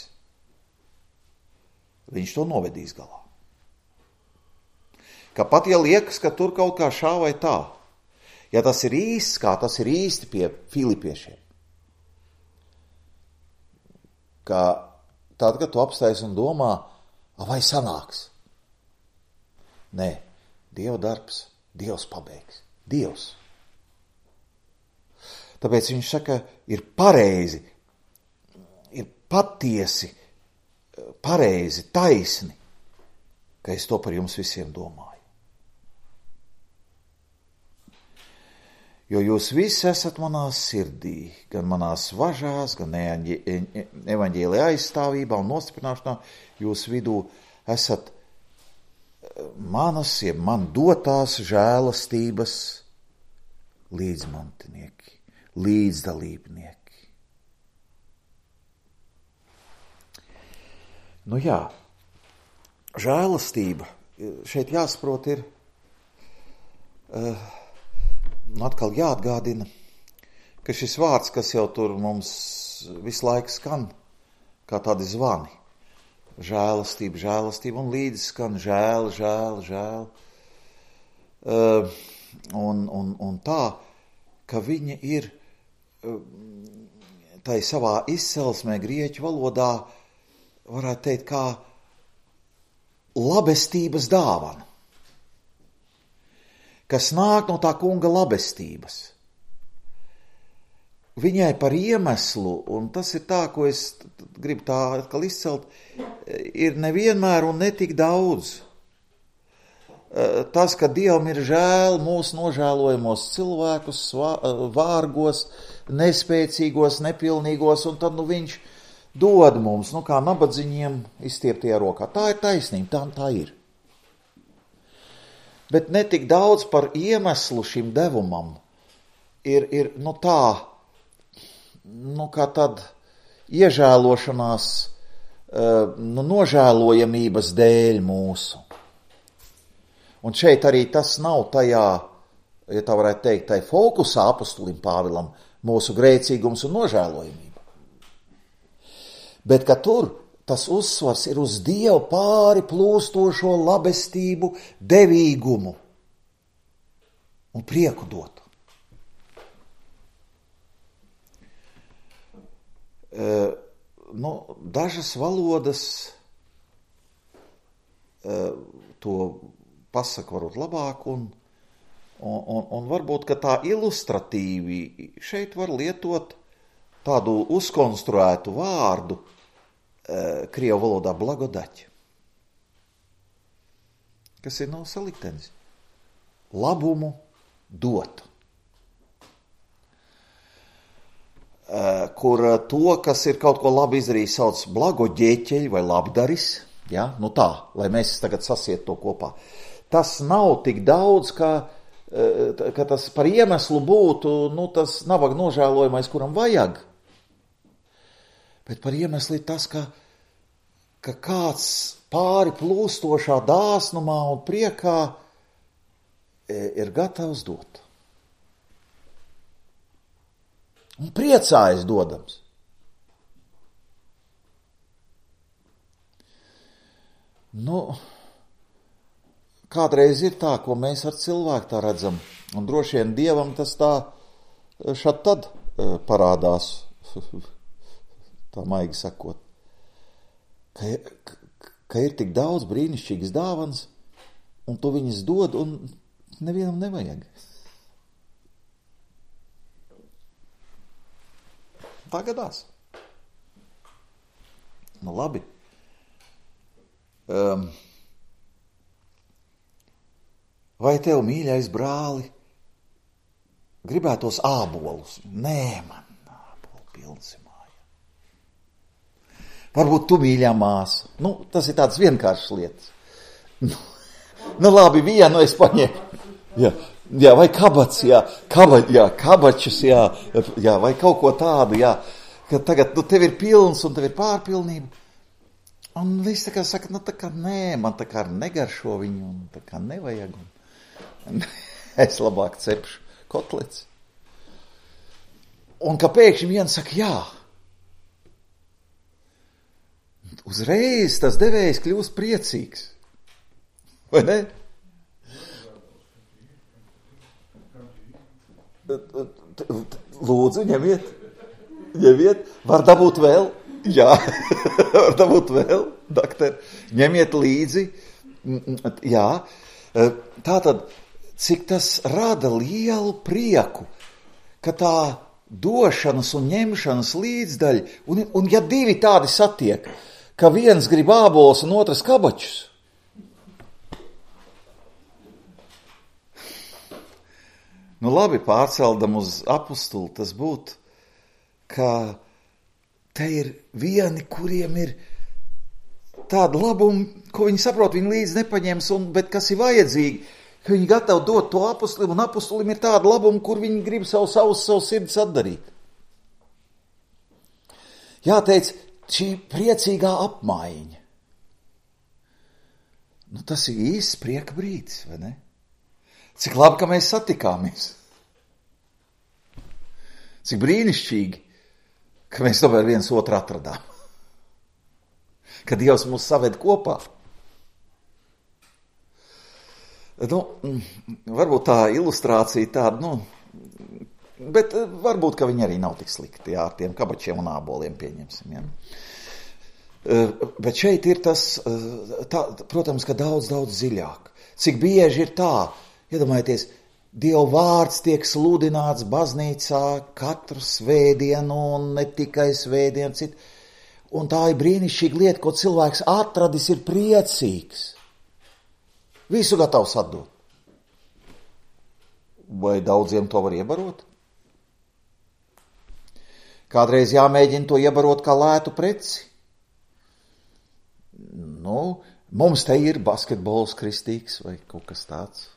viņš to novedīs galā. Ka pat ja liekas, ka tur kaut kā šā vai tā, ja tas ir īsts, kā tas ir īsti pie filipiešiem, ka tad, kad tu apstājies un domā, vai sanāks? Nē, Dieva darbs, Dievs pabeigs, Dievs. Tāpēc viņš saka, ir pareizi, ir patiesi, pareizi, taisni, ka es to par jums visiem domāju. Jo jūs visi esat manā sirdī, gan manās važās, gan evaņģēlija aizstāvībā un nostiprināšanā, jūs vidū esat manas, jeb man dotās žēlastības līdzmantinieki, līdzdalībnieki. Nu jā, žēlastība, šeit jāsaprot ir, uh, atkal jāatgādina, ka šis vārds, kas jau tur mums visu laiku skan, kā tādi zvani, žēlastība, žēlastība, un līdzi skan žēl, žēl, žēl. Uh, un, un, un tā, ka viņa ir uh, tai savā izcelsmē grieķu valodā, varētu teikt, kā labestības dāvana, kas nāk no tā kunga labestības. Viņai par iemeslu, un tas ir tā, ko es gribu tā atkal izcelt, ir nevienmēr un netik daudz. Tas, ka Dievam ir žēl mūsu nožēlojamos cilvēkus, vārgos, nespēcīgos, nepilnīgos, un tad nu, viņš dod mums, nu kā nabadziņiem izstieptajā rokā. Tā ir taisnība, tā, tā ir. Bet netik daudz par iemeslu šim devumam ir, ir nu tā, nu kā tad iežēlošanās, nu nožēlojamības dēļ mūsu. Un šeit arī tas nav tajā, ja tā varētu teikt, tai fokusā apostolim Pāvilam, mūsu grēcīgums un nožēlojamība. Bet ka tur tas uzsvars ir uz Dievu pāri plūstošo labestību, devīgumu un prieku dotu. Uh, nu, dažas valodas uh, to pasaka varbūt labāk, un, un, un, un varbūt, ka tā ilustratīvi šeit var lietot tādu uzkonstruētu vārdu uh, krievu valodā blagodaķi, kas ir no saliktenis. Labumu dot. Kur to, kas ir kaut ko labi izdarījis, sauc blagoģēķeļi vai labdaris, ja? Nu tā, lai mēs tagad sasiet to kopā. Tas nav tik daudz, ka, ka tas par iemeslu būtu, nu tas nabaga nožēlojamais, kuram vajag. Bet par iemeslu ir tas, ka ka kāds pāri plūstošā dāsnumā un priekā ir gatavs dot. Un priecājas dodams. Nu, kādreiz ir tā, ko mēs ar cilvēku tā redzam, un droši vien Dievam tas tā šad tad parādās, tā maigi sakot, ka, ka ir tik daudz brīnišķīgas dāvanas, un tu viņas dod, un nevienam nevajag. Tā gadās. Nu labi. Um, vai tev, mīļais brāli, gribētos ābolus? Nē, man ābolu pilns ir māja. Varbūt tu, mīļā māsa. Nu, tas ir tāds vienkāršs lietas. Nu, nu labi, vienu es paņēmu. Jā, jā, vai kabats, jā, kaba, jā, kabačus, jā, jā, vai kaut ko tādu, jā, ka tagad, nu, tev ir pilns un tev ir pārpilnība. Un viss tā kā saka, nu, tā kā nē, man tā kā negaršo viņu, un tā kā nevajag. Un es labāk cepšu kotlets. Un ka pēkšņi viens saka, jā. Uzreiz tas devējs kļūst priecīgs. Vai ne? Lūdzu, ņemiet. Ņemiet. Var dabūt vēl? Jā, var dabūt vēl, doktor. Ņemiet līdzi. Jā. Tātad, cik tas rada lielu prieku, ka tā došanas un ņemšanas līdzdaļa, un, un ja divi tādi satiek, ka viens grib ābolus un otrs kabačus, nu labi, pārceldam uz apustuli, tas būtu, ka te ir vieni, kuriem ir tāda labuma, ko viņi saprot, viņi līdz nepaņems, un, bet kas ir vajadzīgi, ka viņi gatavi dot to apustulim, un apustulim ir tāda labuma, kur viņi grib savu savus, savu sirdis atdarīt. Jāteic, šī priecīgā apmaiņa. Nu, tas ir īsts prieka brīdis, vai ne? Cik labi, ka mēs satikāmies. Cik brīnišķīgi, ka mēs tomēr viens otru atradām. Ka Dievs mūs saved kopā. Nu, varbūt tā ilustrācija tāda, nu, bet varbūt, ka viņi arī nav tik slikti, jā, ar tiem kabačiem un āboliem pieņemsim, jā. Bet šeit ir tas, tā, protams, ka daudz, daudz dziļāk. Cik bieži ir tā, iedomājieties, Dieva vārds tiek sludināts baznīcā katru svētdienu un ne tikai svētdienu citu. Un tā ir brīnišķīga lieta, ko cilvēks atradis, ir priecīgs. Visu gatavs atdot. Vai daudziem to var iebarot? Kādreiz jāmēģina to iebarot kā lētu preci. Nu, mums te ir basketbols kristīgs vai kaut kas tāds.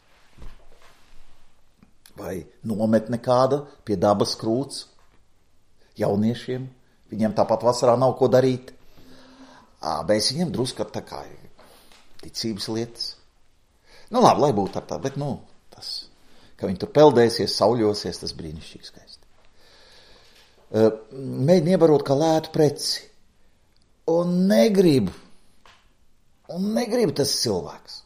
Vai nometne kāda pie dabas krūts jauniešiem. Viņiem tāpat vasarā nav ko darīt. Mēs viņiem drusku tā kā ticības lietas. Nu labi, lai būtu ar tā, bet nu, tas, ka viņi tur peldēsies, sauļosies, tas brīnišķīgi skaisti. Mēģina iebarot kā lētu preci. Un negrib, un negrib tas cilvēks.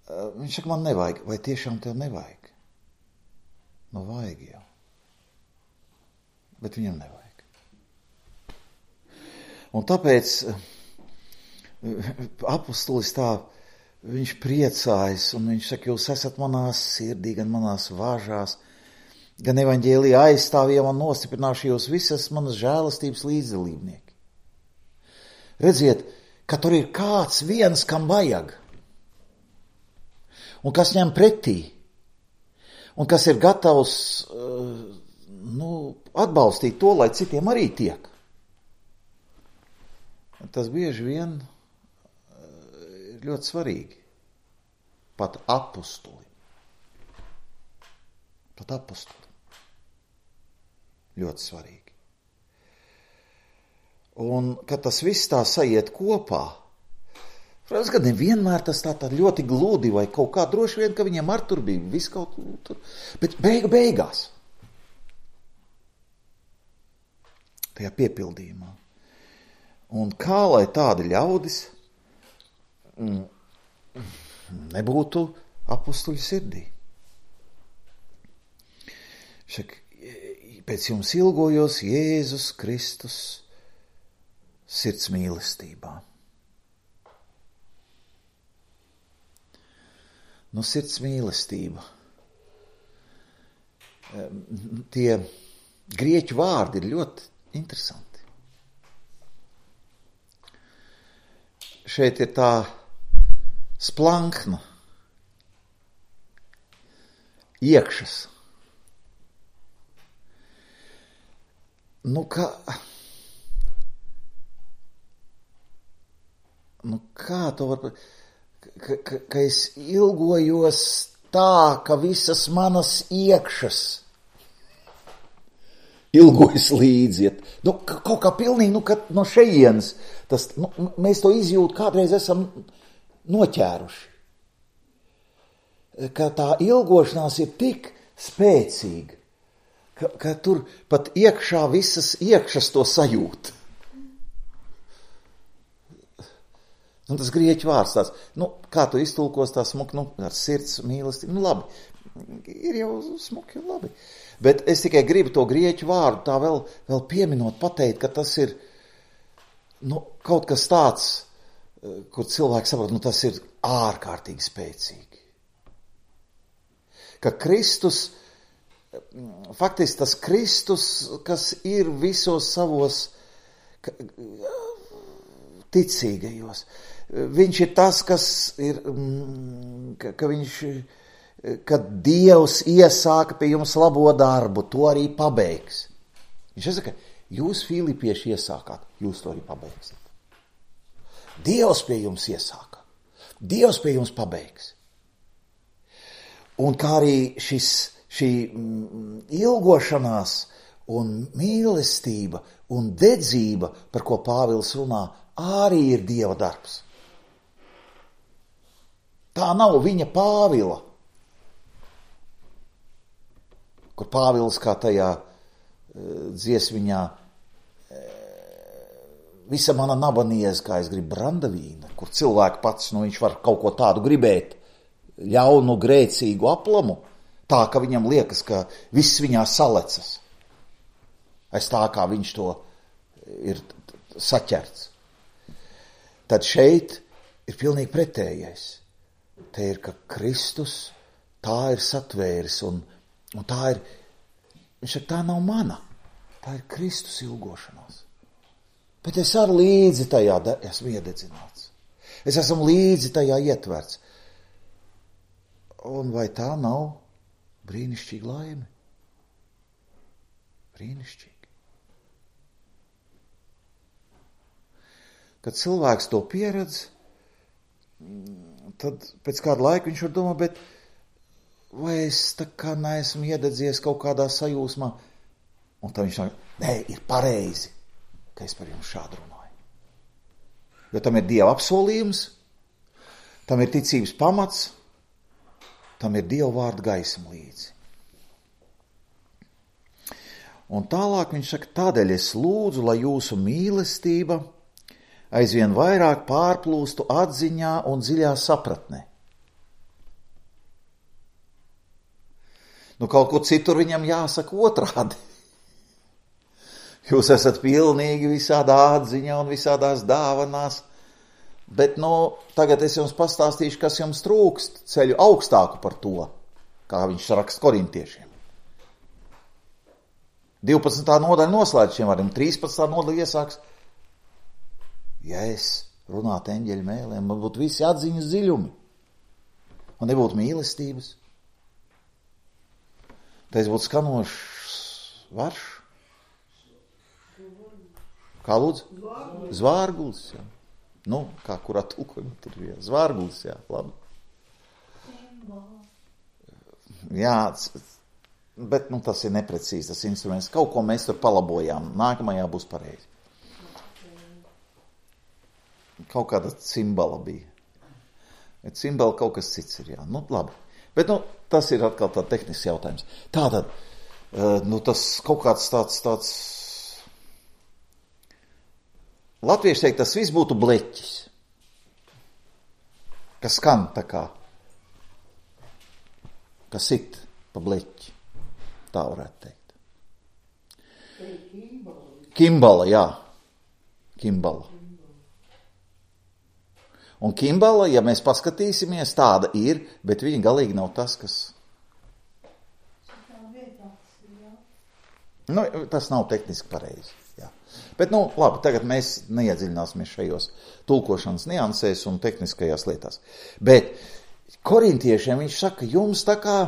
Viņš saka, man nevajag. Vai tiešām tev nevajag? Nu, vajag jau. Bet viņam nevajag. Un tāpēc apustulis tā, viņš priecājas, un viņš saka, jūs esat manās sirdī, gan manās vāžās, gan evaņģēlijā aizstāvjiem un nostiprināšu jūs visas manas žēlastības līdzdalībnieki. Redziet, ka tur ir kāds viens, kam vajag. Un kas ņem pretī, un kas ir gatavs nu, atbalstīt to, lai citiem arī tiek. Tas bieži vien ir ļoti svarīgi. Pat apustuli. Pat apustuli. Ļoti svarīgi. Un, kad tas viss tā sajiet kopā, protams, ka nevienmēr tas tā, tā ļoti gludi vai kaut kā, droši vien, ka viņiem ar tur bija viss kaut tur, bet beigu beigās, tajā piepildījumā. Un kā lai tādi ļaudis nebūtu apustuļu sirdī. Šak, pēc jums ilgojos Jēzus Kristus sirds mīlestībā. Nu, sirds mīlestība. Tie grieķu vārdi ir ļoti interesanti. Šeit ir tā splankna, iekšas. Nu, kā, nu, kā to var, ka, ka, ka es ilgojos tā, ka visas manas iekšas ilgojas līdziet. Nu, kaut kā pilnīgi, nu, ka no šejienes, tas, nu, mēs to izjūtu, kādreiz esam noķēruši. Ka tā ilgošanās ir tik spēcīga, ka, ka tur pat iekšā visas iekšas to sajūt. Nu, tas grieķu vārds tāds, nu, kā tu iztulkos tā smuki, nu, ar sirds mīlestību, nu, labi, ir jau smuki un labi. Bet es tikai gribu to grieķu vārdu tā vēl, vēl pieminot, pateikt, ka tas ir, nu, kaut kas tāds, kur cilvēki saprot, nu, tas ir ārkārtīgi spēcīgi. Ka Kristus, faktiski tas Kristus, kas ir visos savos ticīgajos, viņš ir tas, kas ir, ka, ka viņš, kad Dievs iesāka pie jums labo darbu, to arī pabeigs. Viņš saka, jūs filipieši iesākāt, jūs to arī pabeigsiet. Dievs pie jums iesāka, Dievs pie jums pabeigs. Un kā arī šis, šī ilgošanās un mīlestība un dedzība, par ko Pāvils runā, arī ir Dieva darbs. Tā nav viņa Pāvila, kur Pāvils kā tajā dziesmiņā visa mana naba niez, kā es gribu brandavīna, kur cilvēki pats, nu viņš var kaut ko tādu gribēt, ļaunu, grēcīgu aplamu, tā, ka viņam liekas, ka viss viņā salecas. Aiz tā, kā viņš to ir saķerts. Tad šeit ir pilnīgi pretējais. Te ir, ka Kristus tā ir satvēris, un, un tā ir, viņš saka, tā nav mana, tā ir Kristus ilgošanās. Bet es arī līdzi tajā esmu iededzināts. Es esmu līdzi tajā ietverts. Un vai tā nav brīnišķīga laime? Brīnišķīgi. Kad cilvēks to pieredz, tad pēc kāda laika viņš var domāt, bet vai es tā kā neesmu iededzies kaut kādā sajūsmā? Un tad viņš saka, nē, ir pareizi, ka es par jums šādu runāju. Jo tam ir Dieva apsolījums, tam ir ticības pamats, tam ir Dieva vārda gaisma līdzi. Un tālāk viņš saka, tādēļ es lūdzu, lai jūsu mīlestība aizvien vairāk pārplūstu atziņā un dziļā sapratnē. Nu, kaut kur citur viņam jāsaka otrādi. Jūs esat pilnīgi visādā atziņā un visādās dāvanās, bet, nu, tagad es jums pastāstīšu, kas jums trūkst, ceļu augstāku par to, kā viņš raksta korintiešiem. divpadsmitā nodaļa noslēdz šiem vārdiem, trīspadsmitā nodaļa iesāks, ja es runātu eņģeļu mēlēm, man būtu visi atziņas dziļumi, man nebūtu mīlestības, tad es būtu skanošs varš. Kā lūdzu? Zvārgulis, jā. Nu, kā kurā tulkojumā tur ir, zvārgulis, jā, labi. Jā, bet, nu, tas ir neprecīzi, tas instruments. Kaut ko mēs tur palabojām, nākamajā būs pareizi. kaut kāda cimbala bija. Bet cimbala kaut kas cits ir, jā. Nu, labi. Bet, nu, tas ir atkal tā tehnisks jautājums. Tātad, nu, tas kaut kāds tāds, tāds... Latvieši teikt, tas viss būtu bleķis. Kas skan tā kā. Kas sit pa bleķi. Tā varētu teikt. Kimbala, jā. Kimbala. Un kimbala, ja mēs paskatīsimies, tāda ir, bet viņa galīgi nav tas, kas... Nu, tas nav tehniski pareizi. Jā. Bet, nu, labi, tagad mēs neiedziļināsimies šajos tulkošanas niansēs un tehniskajās lietās. Bet korintiešiem viņš saka, jums tā kā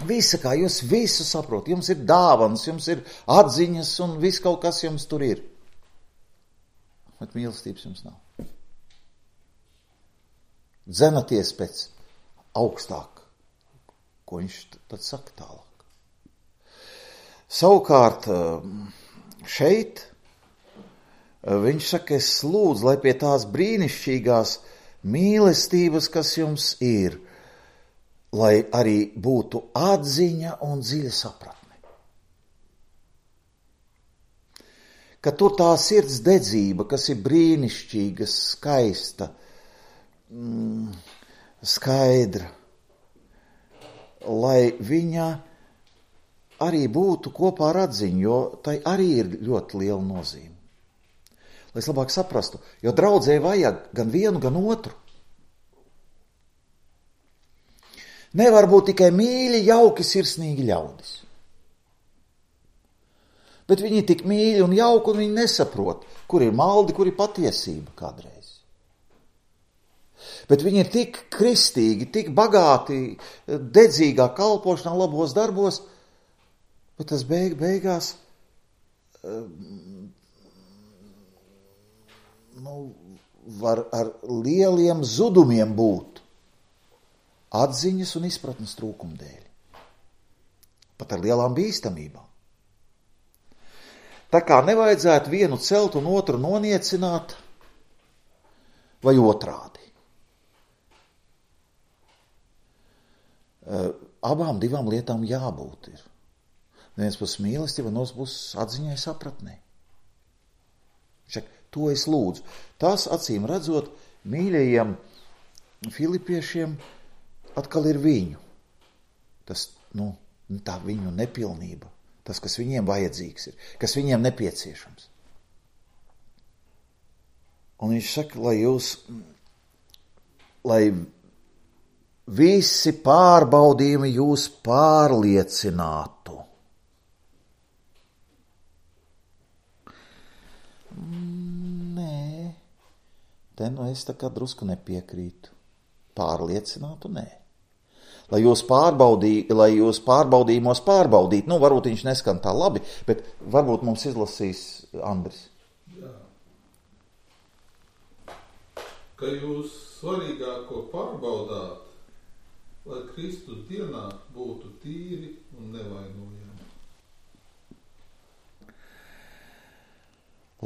visa kā, jūs visu saprot, jums ir dāvanas, jums ir atziņas un viss kaut kas jums tur ir. Bet mīlestības jums nav. Dzenaties pēc augstāk, ko viņš tad saka tālāk. Savukārt šeit viņš saka, es lūdzu, lai pie tās brīnišķīgās mīlestības, kas jums ir, lai arī būtu atziņa un dziļa sapratne. Ka tur tā sirds dedzība, kas ir brīnišķīga, skaista, mm, skaidra, lai viņa arī būtu kopā ar atziņu, jo tai arī ir ļoti liela nozīme. Lai es labāk saprastu, jo draudzē vajag gan vienu, gan otru. Nevar būt tikai mīļi, jauki, sirsnīgi ļaudis. Bet viņi tik mīļi un jauki, un viņi nesaprot, kur ir maldi, kur ir patiesība kādreiz. Bet viņi ir tik kristīgi, tik bagāti, dedzīgā kalpošanā, labos darbos, bet tas beig, beigās nu, var ar lieliem zudumiem būt atziņas un izpratnes trūkuma dēļ. Pat ar lielām bīstamībām. Tā kā nevajadzētu vienu celt un otru noniecināt vai otrādi. Abām divām lietām jābūt ir. Viens puses mīlestība, un otrs puses atziņai sapratnē. Šak, to es lūdzu. Tas, acīm redzot, mīļajiem filipiešiem atkal ir viņu. Tas, nu, tā viņu nepilnība. Tas, kas viņiem vajadzīgs ir, kas viņiem nepieciešams. Un viņš saka, lai jūs, lai visi pārbaudījumi jūs pārliecinātu. Nē, te nu es tā kā drusku nepiekrītu. Pārliecinātu, nē. Lai jūs, pārbaudī, lai jūs pārbaudījumos pārbaudītu, nu varbūt viņš neskan tā labi, bet varbūt mums izlasīs Andris. Jā. Ka jūs svarīgāko pārbaudāt, lai Kristus dienā būtu tīri un nevainojami.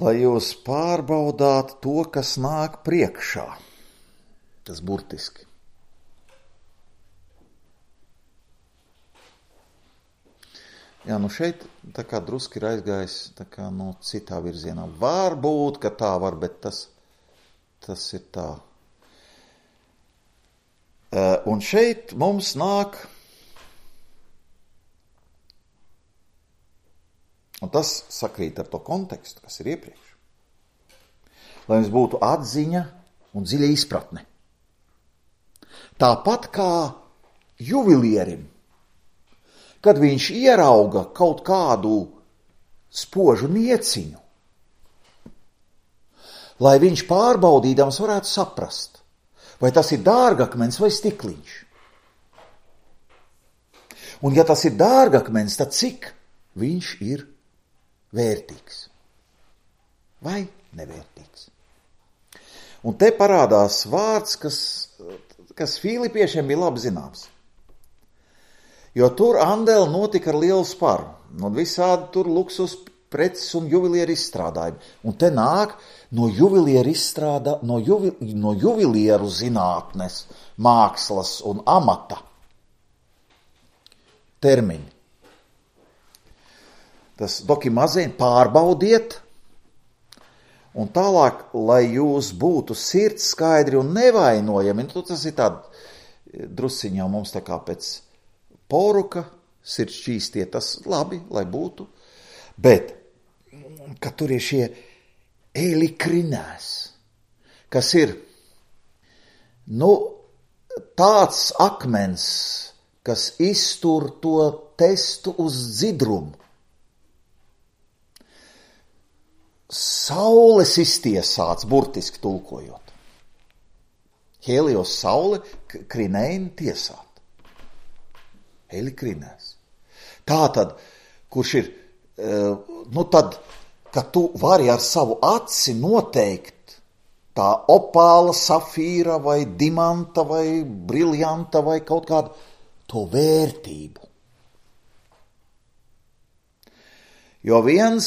Lai jūs pārbaudāt to, kas nāk priekšā. Tas burtiski. Jā, nu šeit tā kā druski ir aizgājis tā kā no citā virzienā. Varbūt, ka tā var, bet tas, tas ir tā. Un šeit mums nāk, un tas sakrīt ar to kontekstu, kas ir iepriekš. Lai mums būtu atziņa un dziļa izpratne. Tāpat kā juvilierim, kad viņš ierauga kaut kādu spožu nieciņu, lai viņš pārbaudīdams varētu saprast, vai tas ir dārgakmens vai stikliņš. Un ja tas ir dārgakmens, tad cik viņš ir vērtīgs vai nevērtīgs. Un te parādās vārds, kas, kas filipiešiem bija labi zināms. Jo tur andēli notika ar lielu sparu. Un visādi tur luksus preces un juvelieru izstrādājumi. Un te nāk no juvelieru izstrādā, no, juvi, no juvelieru zinātnes, mākslas un amata termiņi. Tas dokimazēn pārbaudiet, un tālāk, lai jūs būtu sirds skaidri un nevainojami, nu, tas ir tād drusciņā mums tā kā pēc poruka, sirds šķīstie, tas labi, lai būtu, bet, ka tur ir šie elikrinēs, kas ir, nu, tāds akmens, kas iztur to testu uz dzidrumu. Saules iztiesāts, burtiski tulkojot. Helios saule, krineini tiesāt. Elikrinēs. Tātad, kurš ir, nu tad, ka tu vari ar savu aci noteikt tā opāla, safīra vai dimanta vai briljanta vai kaut kādu to vērtību. Jo viens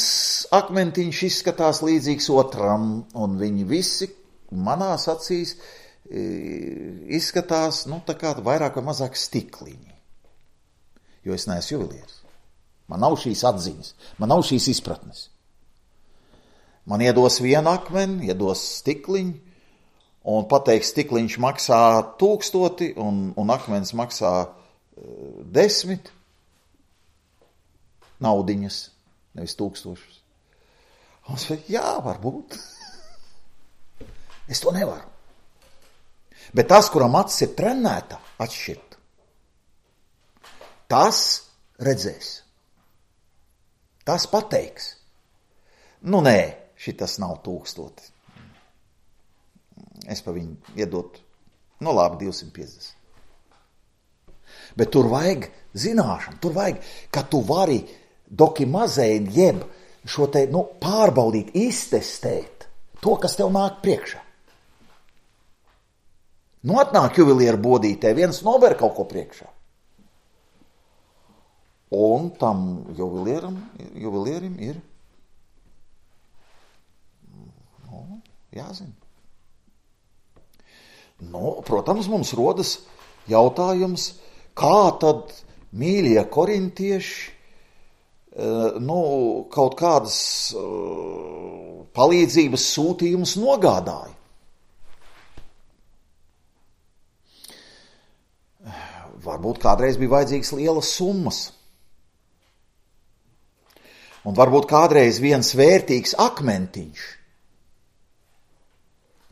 akmentiņš izskatās līdzīgs otram, un viņi visi manās acīs izskatās, nu, tā kā vairāk vai mazāk stikliņi. Jo es neesmu juvelieris. Man nav šīs atziņas, man nav šīs izpratnes. Man iedos vienu akmeni, iedos stikliņu, un pateiks, stikliņš maksā tūkstoti, un, un akmens maksā uh, desmit naudiņas, nevis tūkstošus. Un es saku, jā, varbūt. Es to nevaru. Bet tas, kuram acis ir trenēta, atšķirt, tas redzēs. Tas pateiks. Nu, nē, šitas nav tūkstoti. Es pa viņu iedotu, nu labi, divsimt piecdesmit. Bet tur vajag zināšanu, tur vajag, ka tu vari dokimazēni jeb šo te, nu, pārbaudīt, iztestēt to, kas tev nāk priekšā. Nu, atnāk juvelieru bodītē, viens nober kaut ko priekšā. Un tam juvelieram, juvelierim ir, nu, jāzina. Nu, protams, mums rodas jautājums, kā tad mīļie korintieši, nu, kaut kādas palīdzības sūtījumus nogādāja. Varbūt kādreiz bija vajadzīgas lielas summas. Un varbūt kādreiz viens vērtīgs akmentiņš,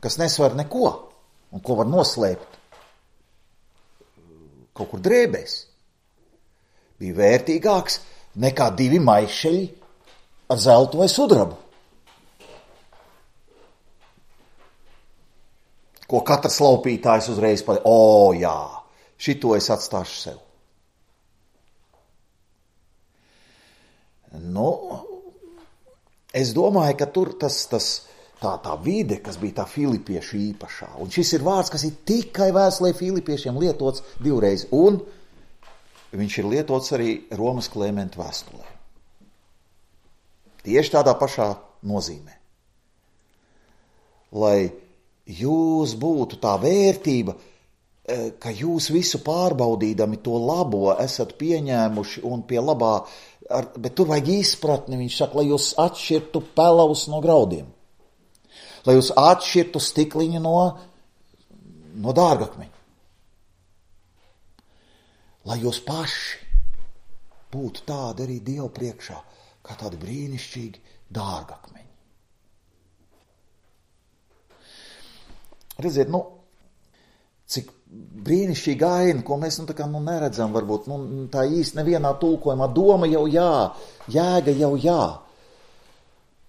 kas nesvar neko, un ko var noslēpt kaut kur drēbēs, bija vērtīgāks nekā divi maišeļi ar zeltu vai sudrabu, ko katrs laupītājs uzreiz pateica, o jā, šito es atstāšu sev. Nu, es domāju, ka tur tas, tas tā, tā vide, kas bija tā filipiešu īpašā, un šis ir vārds, kas ir tikai vēstulē filipiešiem lietots divreiz, un viņš ir lietots arī Romas Klementa vēstulē. Tieši tādā pašā nozīmē. Lai jūs būtu tā vērtība, ka jūs visu pārbaudīdami to labo esat pieņēmuši un pie labā, ar, bet tur vajag izpratni, viņš saka, lai jūs atšķirtu pelavus no graudiem, lai jūs atšķirtu stikliņu no, no dārgakmeņa, lai jūs paši būtu tādi arī Dievu priekšā, kā tādi brīnišķīgi dārgakmeņi. Redziet, nu, cik brīnišķīga aina, ko mēs nu, tā kā, nu, neredzam, varbūt nu, tā īsti nevienā tulkojumā, doma jau jā, jēga jau jā,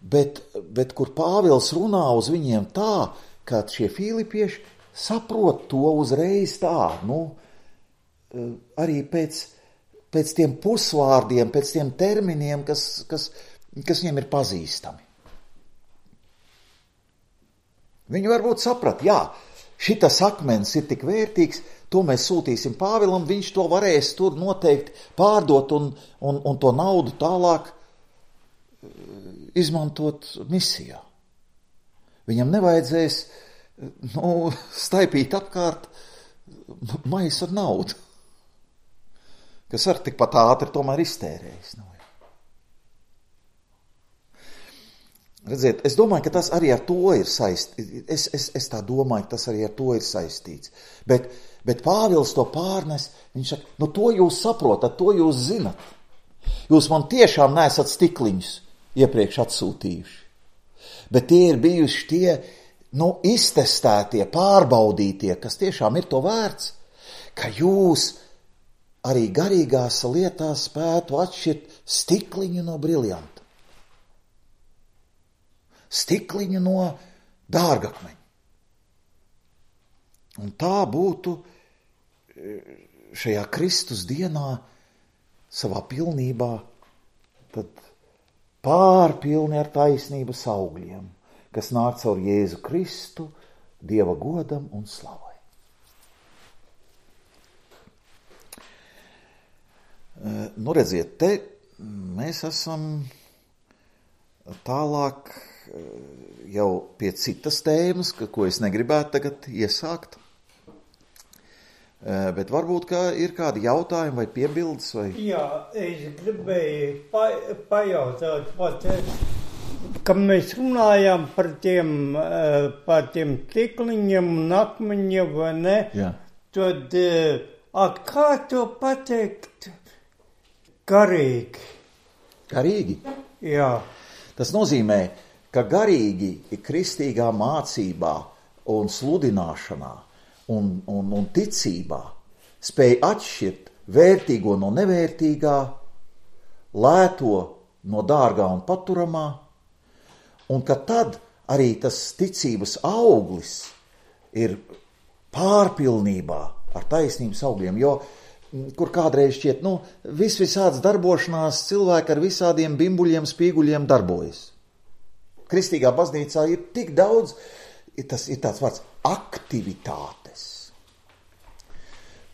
bet, bet kur Pāvils runā uz viņiem tā, ka šie filipieši saprot to uzreiz tā, nu, arī pēc, pēc tiem pusvārdiem, pēc tiem terminiem, kas, kas, kas viņiem ir pazīstami. Viņi varbūt saprat, jā, šitas akmens ir tik vērtīgs, to mēs sūtīsim Pāvilam, viņš to varēs tur noteikti pārdot un, un, un to naudu tālāk izmantot misijā. Viņam nevajadzēs nu, staipīt apkārt maisu ar naudu, kas ar tikpat ātri tomēr iztērējas. Nu, redziet, es domāju, ka tas arī ar to ir saistīts. Es, es, es tā domāju, ka tas arī ar to ir saistīts. Bet, bet Pāvils to pārnes, viņš saka, nu to jūs saprotat, to jūs zinat. Jūs man tiešām neesat stikliņus iepriekš atsūtījuši. Bet tie ir bijuši tie, nu, iztestētie, pārbaudītie, kas tiešām ir to vērts, ka jūs arī garīgās lietās spētu atšķirt stikliņu no briljanta. Stikliņu no dārgakmeņa. Un tā būtu šajā Kristus dienā savā pilnībā tad pārpilni ar taisnības augļiem, kas nāk caur Jēzu Kristu, Dieva godam un slavai. Nu, redziet, te mēs esam tālāk jau pie citas tēmas, ko es negribētu tagad iesākt. Bet varbūt, ka ir kādi jautājumi vai piebildes? Vai... Jā, es gribēju pa, pajautāt, pat, kad mēs runājām par tiem, par tiem stikliņiem un akmeņiem, vai ne? Jā. Tad, a, kā to pateikt garīgi? Garīgi? Jā. Tas nozīmē, ka garīgi kristīgā mācībā un sludināšanā Un, un, un ticībā spēj atšķirt vērtīgo no nevērtīgā, lēto no dārgā un paturamā, un ka tad arī tas ticības auglis ir pārpilnībā ar taisnības augļiem, jo kur kādreiz šķiet, nu, vis visāds darbošanās cilvēki ar visādiem bimbuļiem, spīguļiem darbojas. Kristīgā baznīcā ir tik daudz, tas ir tāds vārds aktivitātes,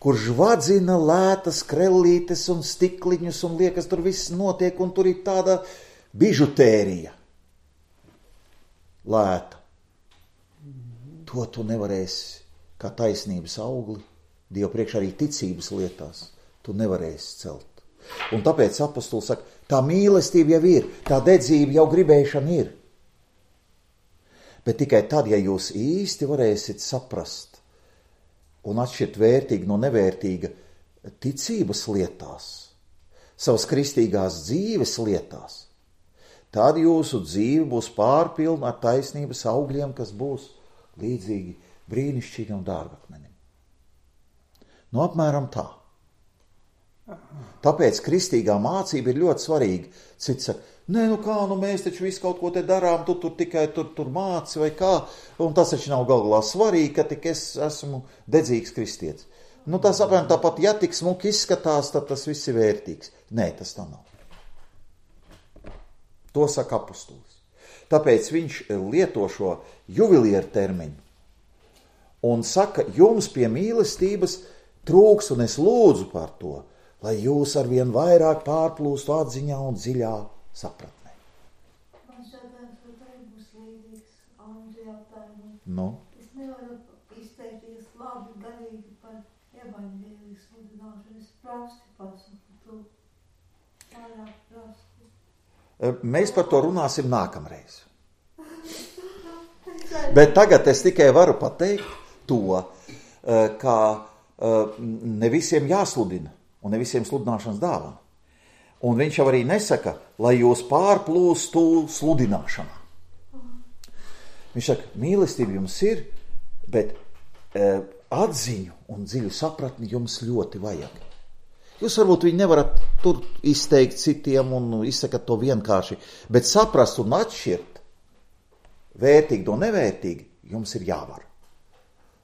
kur žvadzina lētas krellītes un stikliņus un liekas, tur viss notiek un tur ir tāda bižutērija lēta. To tu nevarēsi kā taisnības augli, Dievu priekš arī ticības lietās, tu nevarēsi celt. Un tāpēc apostols saka, tā mīlestība jau ir, tā dedzība jau gribēšana ir. Bet tikai tad, ja jūs īsti varēsiet saprast un atšķirt vērtīgi no nevērtīga ticības lietās, savas kristīgās dzīves lietās, tad jūsu dzīve būs pārpilna ar taisnības augļiem, kas būs līdzīgi brīnišķīgam dārgakmenim. Nu, apmēram tā. Tāpēc kristīgā mācība ir ļoti svarīga. Cits saka, nē, nu kā, nu mēs taču visu kaut ko te darām, tu tur tikai tur, tur māci vai kā, un tas taču nav galvā svarīgi, ka tik es esmu dedzīgs kristietis. Nu, tas apmēram tāpat, ja tik smuki izskatās, tad tas viss ir vērtīgs. Nē, tas tā nav. To saka apostolis. Tāpēc viņš lieto šo juvilieru termiņu un saka, jums pie mīlestības trūks, un es lūdzu par to, lai jūs arvien vairāk pārplūstu atziņā un dziļā sapratnē. Man šādien šodien būs līdzīgs Andri jautājumam. Nu? Es nevaru izteikties labi garīgi par evaņģēliju sludināšanu. Es prasti pasaku to. Vairāk prasti. Mēs par to runāsim nākamreiz. Bet tagad es tikai varu pateikt to, ka ne visiem jāsludina. Un ne visiem sludināšanas dāvana. Un viņš jau arī nesaka, lai jūs pārplūstu sludināšanā. Viņš saka, mīlestība jums ir, bet e, atziņu un dziļu sapratni jums ļoti vajag. Jūs varbūt viņu nevarat tur izteikt citiem un izsakat to vienkārši, bet saprast un atšķirt vērtīgi no nevērtīgi jums ir jāvar.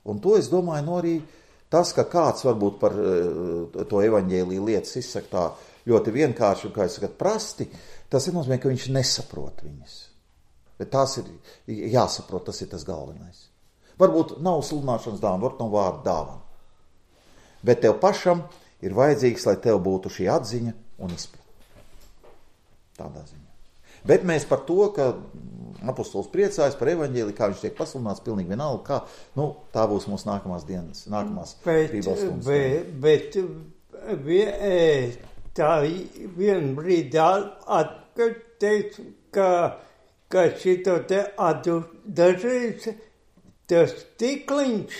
Un to es domāju, no arī tas, ka kāds varbūt par to evaņģēliju lietas izsaka tā ļoti vienkārši un, kā es sakat, prasti, tas ir nozīmē, ka viņš nesaprot viņas. Bet tās ir jāsaprot, tas ir tas galvenais. Varbūt nav sludināšanas dāvana, varbūt nav vārdu dāvana. Bet tev pašam ir vajadzīgs, lai tev būtu šī atziņa un izpratne. Tādā ziņā. Bet mēs par to, ka apostols priecājas par evaņģēliju, kā viņš tiek pasludināts, pilnīgi vienalga, kā, nu, tā būs mūsu nākamās dienas, nākamās Bībeles stundas. Bet, bet, bet tā vien brīdi atkārt, ka, ka šito te atu dažreiz tas stikliņš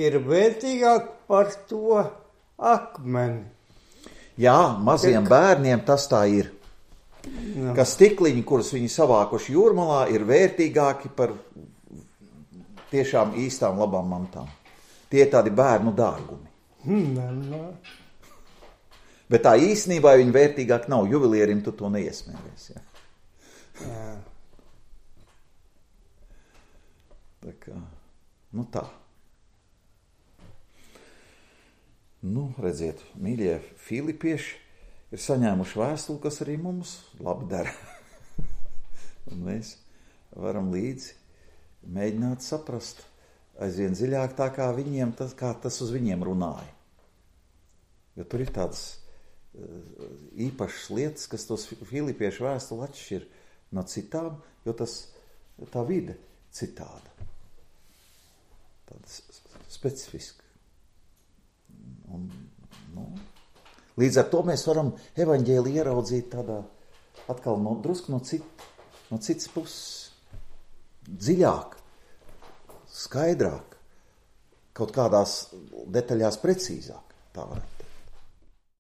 ir vērtīgāk par to akmeni. Jā, maziem bērniem tas tā ir. Jā. Ka stikliņi, kurus viņi savākuši jūrmalā, ir vērtīgāki par tiešām īstām labām mantām. Tie ir tādi bērnu dārgumi. Mm, Bet tā īstenībā viņi vērtīgāk nav. Juvelierim tu to neiesmējies. Ja? Jā. Tā kā, nu tā. Nu, redziet, mīļie filipieši ir saņēmuši vēstuli, kas arī mums labi dara. Un mēs varam līdzi mēģināt saprast aizvien dziļāk tā, kā viņiem, tas, kā tas uz viņiem runāja. Jo tur ir tādas īpašas lietas, kas tos filipiešu vēstuli atšķir no citām, jo tas, tā vide citāda. Tāda specifiska. Un, nu, līdz ar to mēs varam evaņģēliju ieraudzīt tādā atkal no, drusku no, cit, no citas puses, dziļāk, skaidrāk, kaut kādās detaļās precīzāk, tā varētu.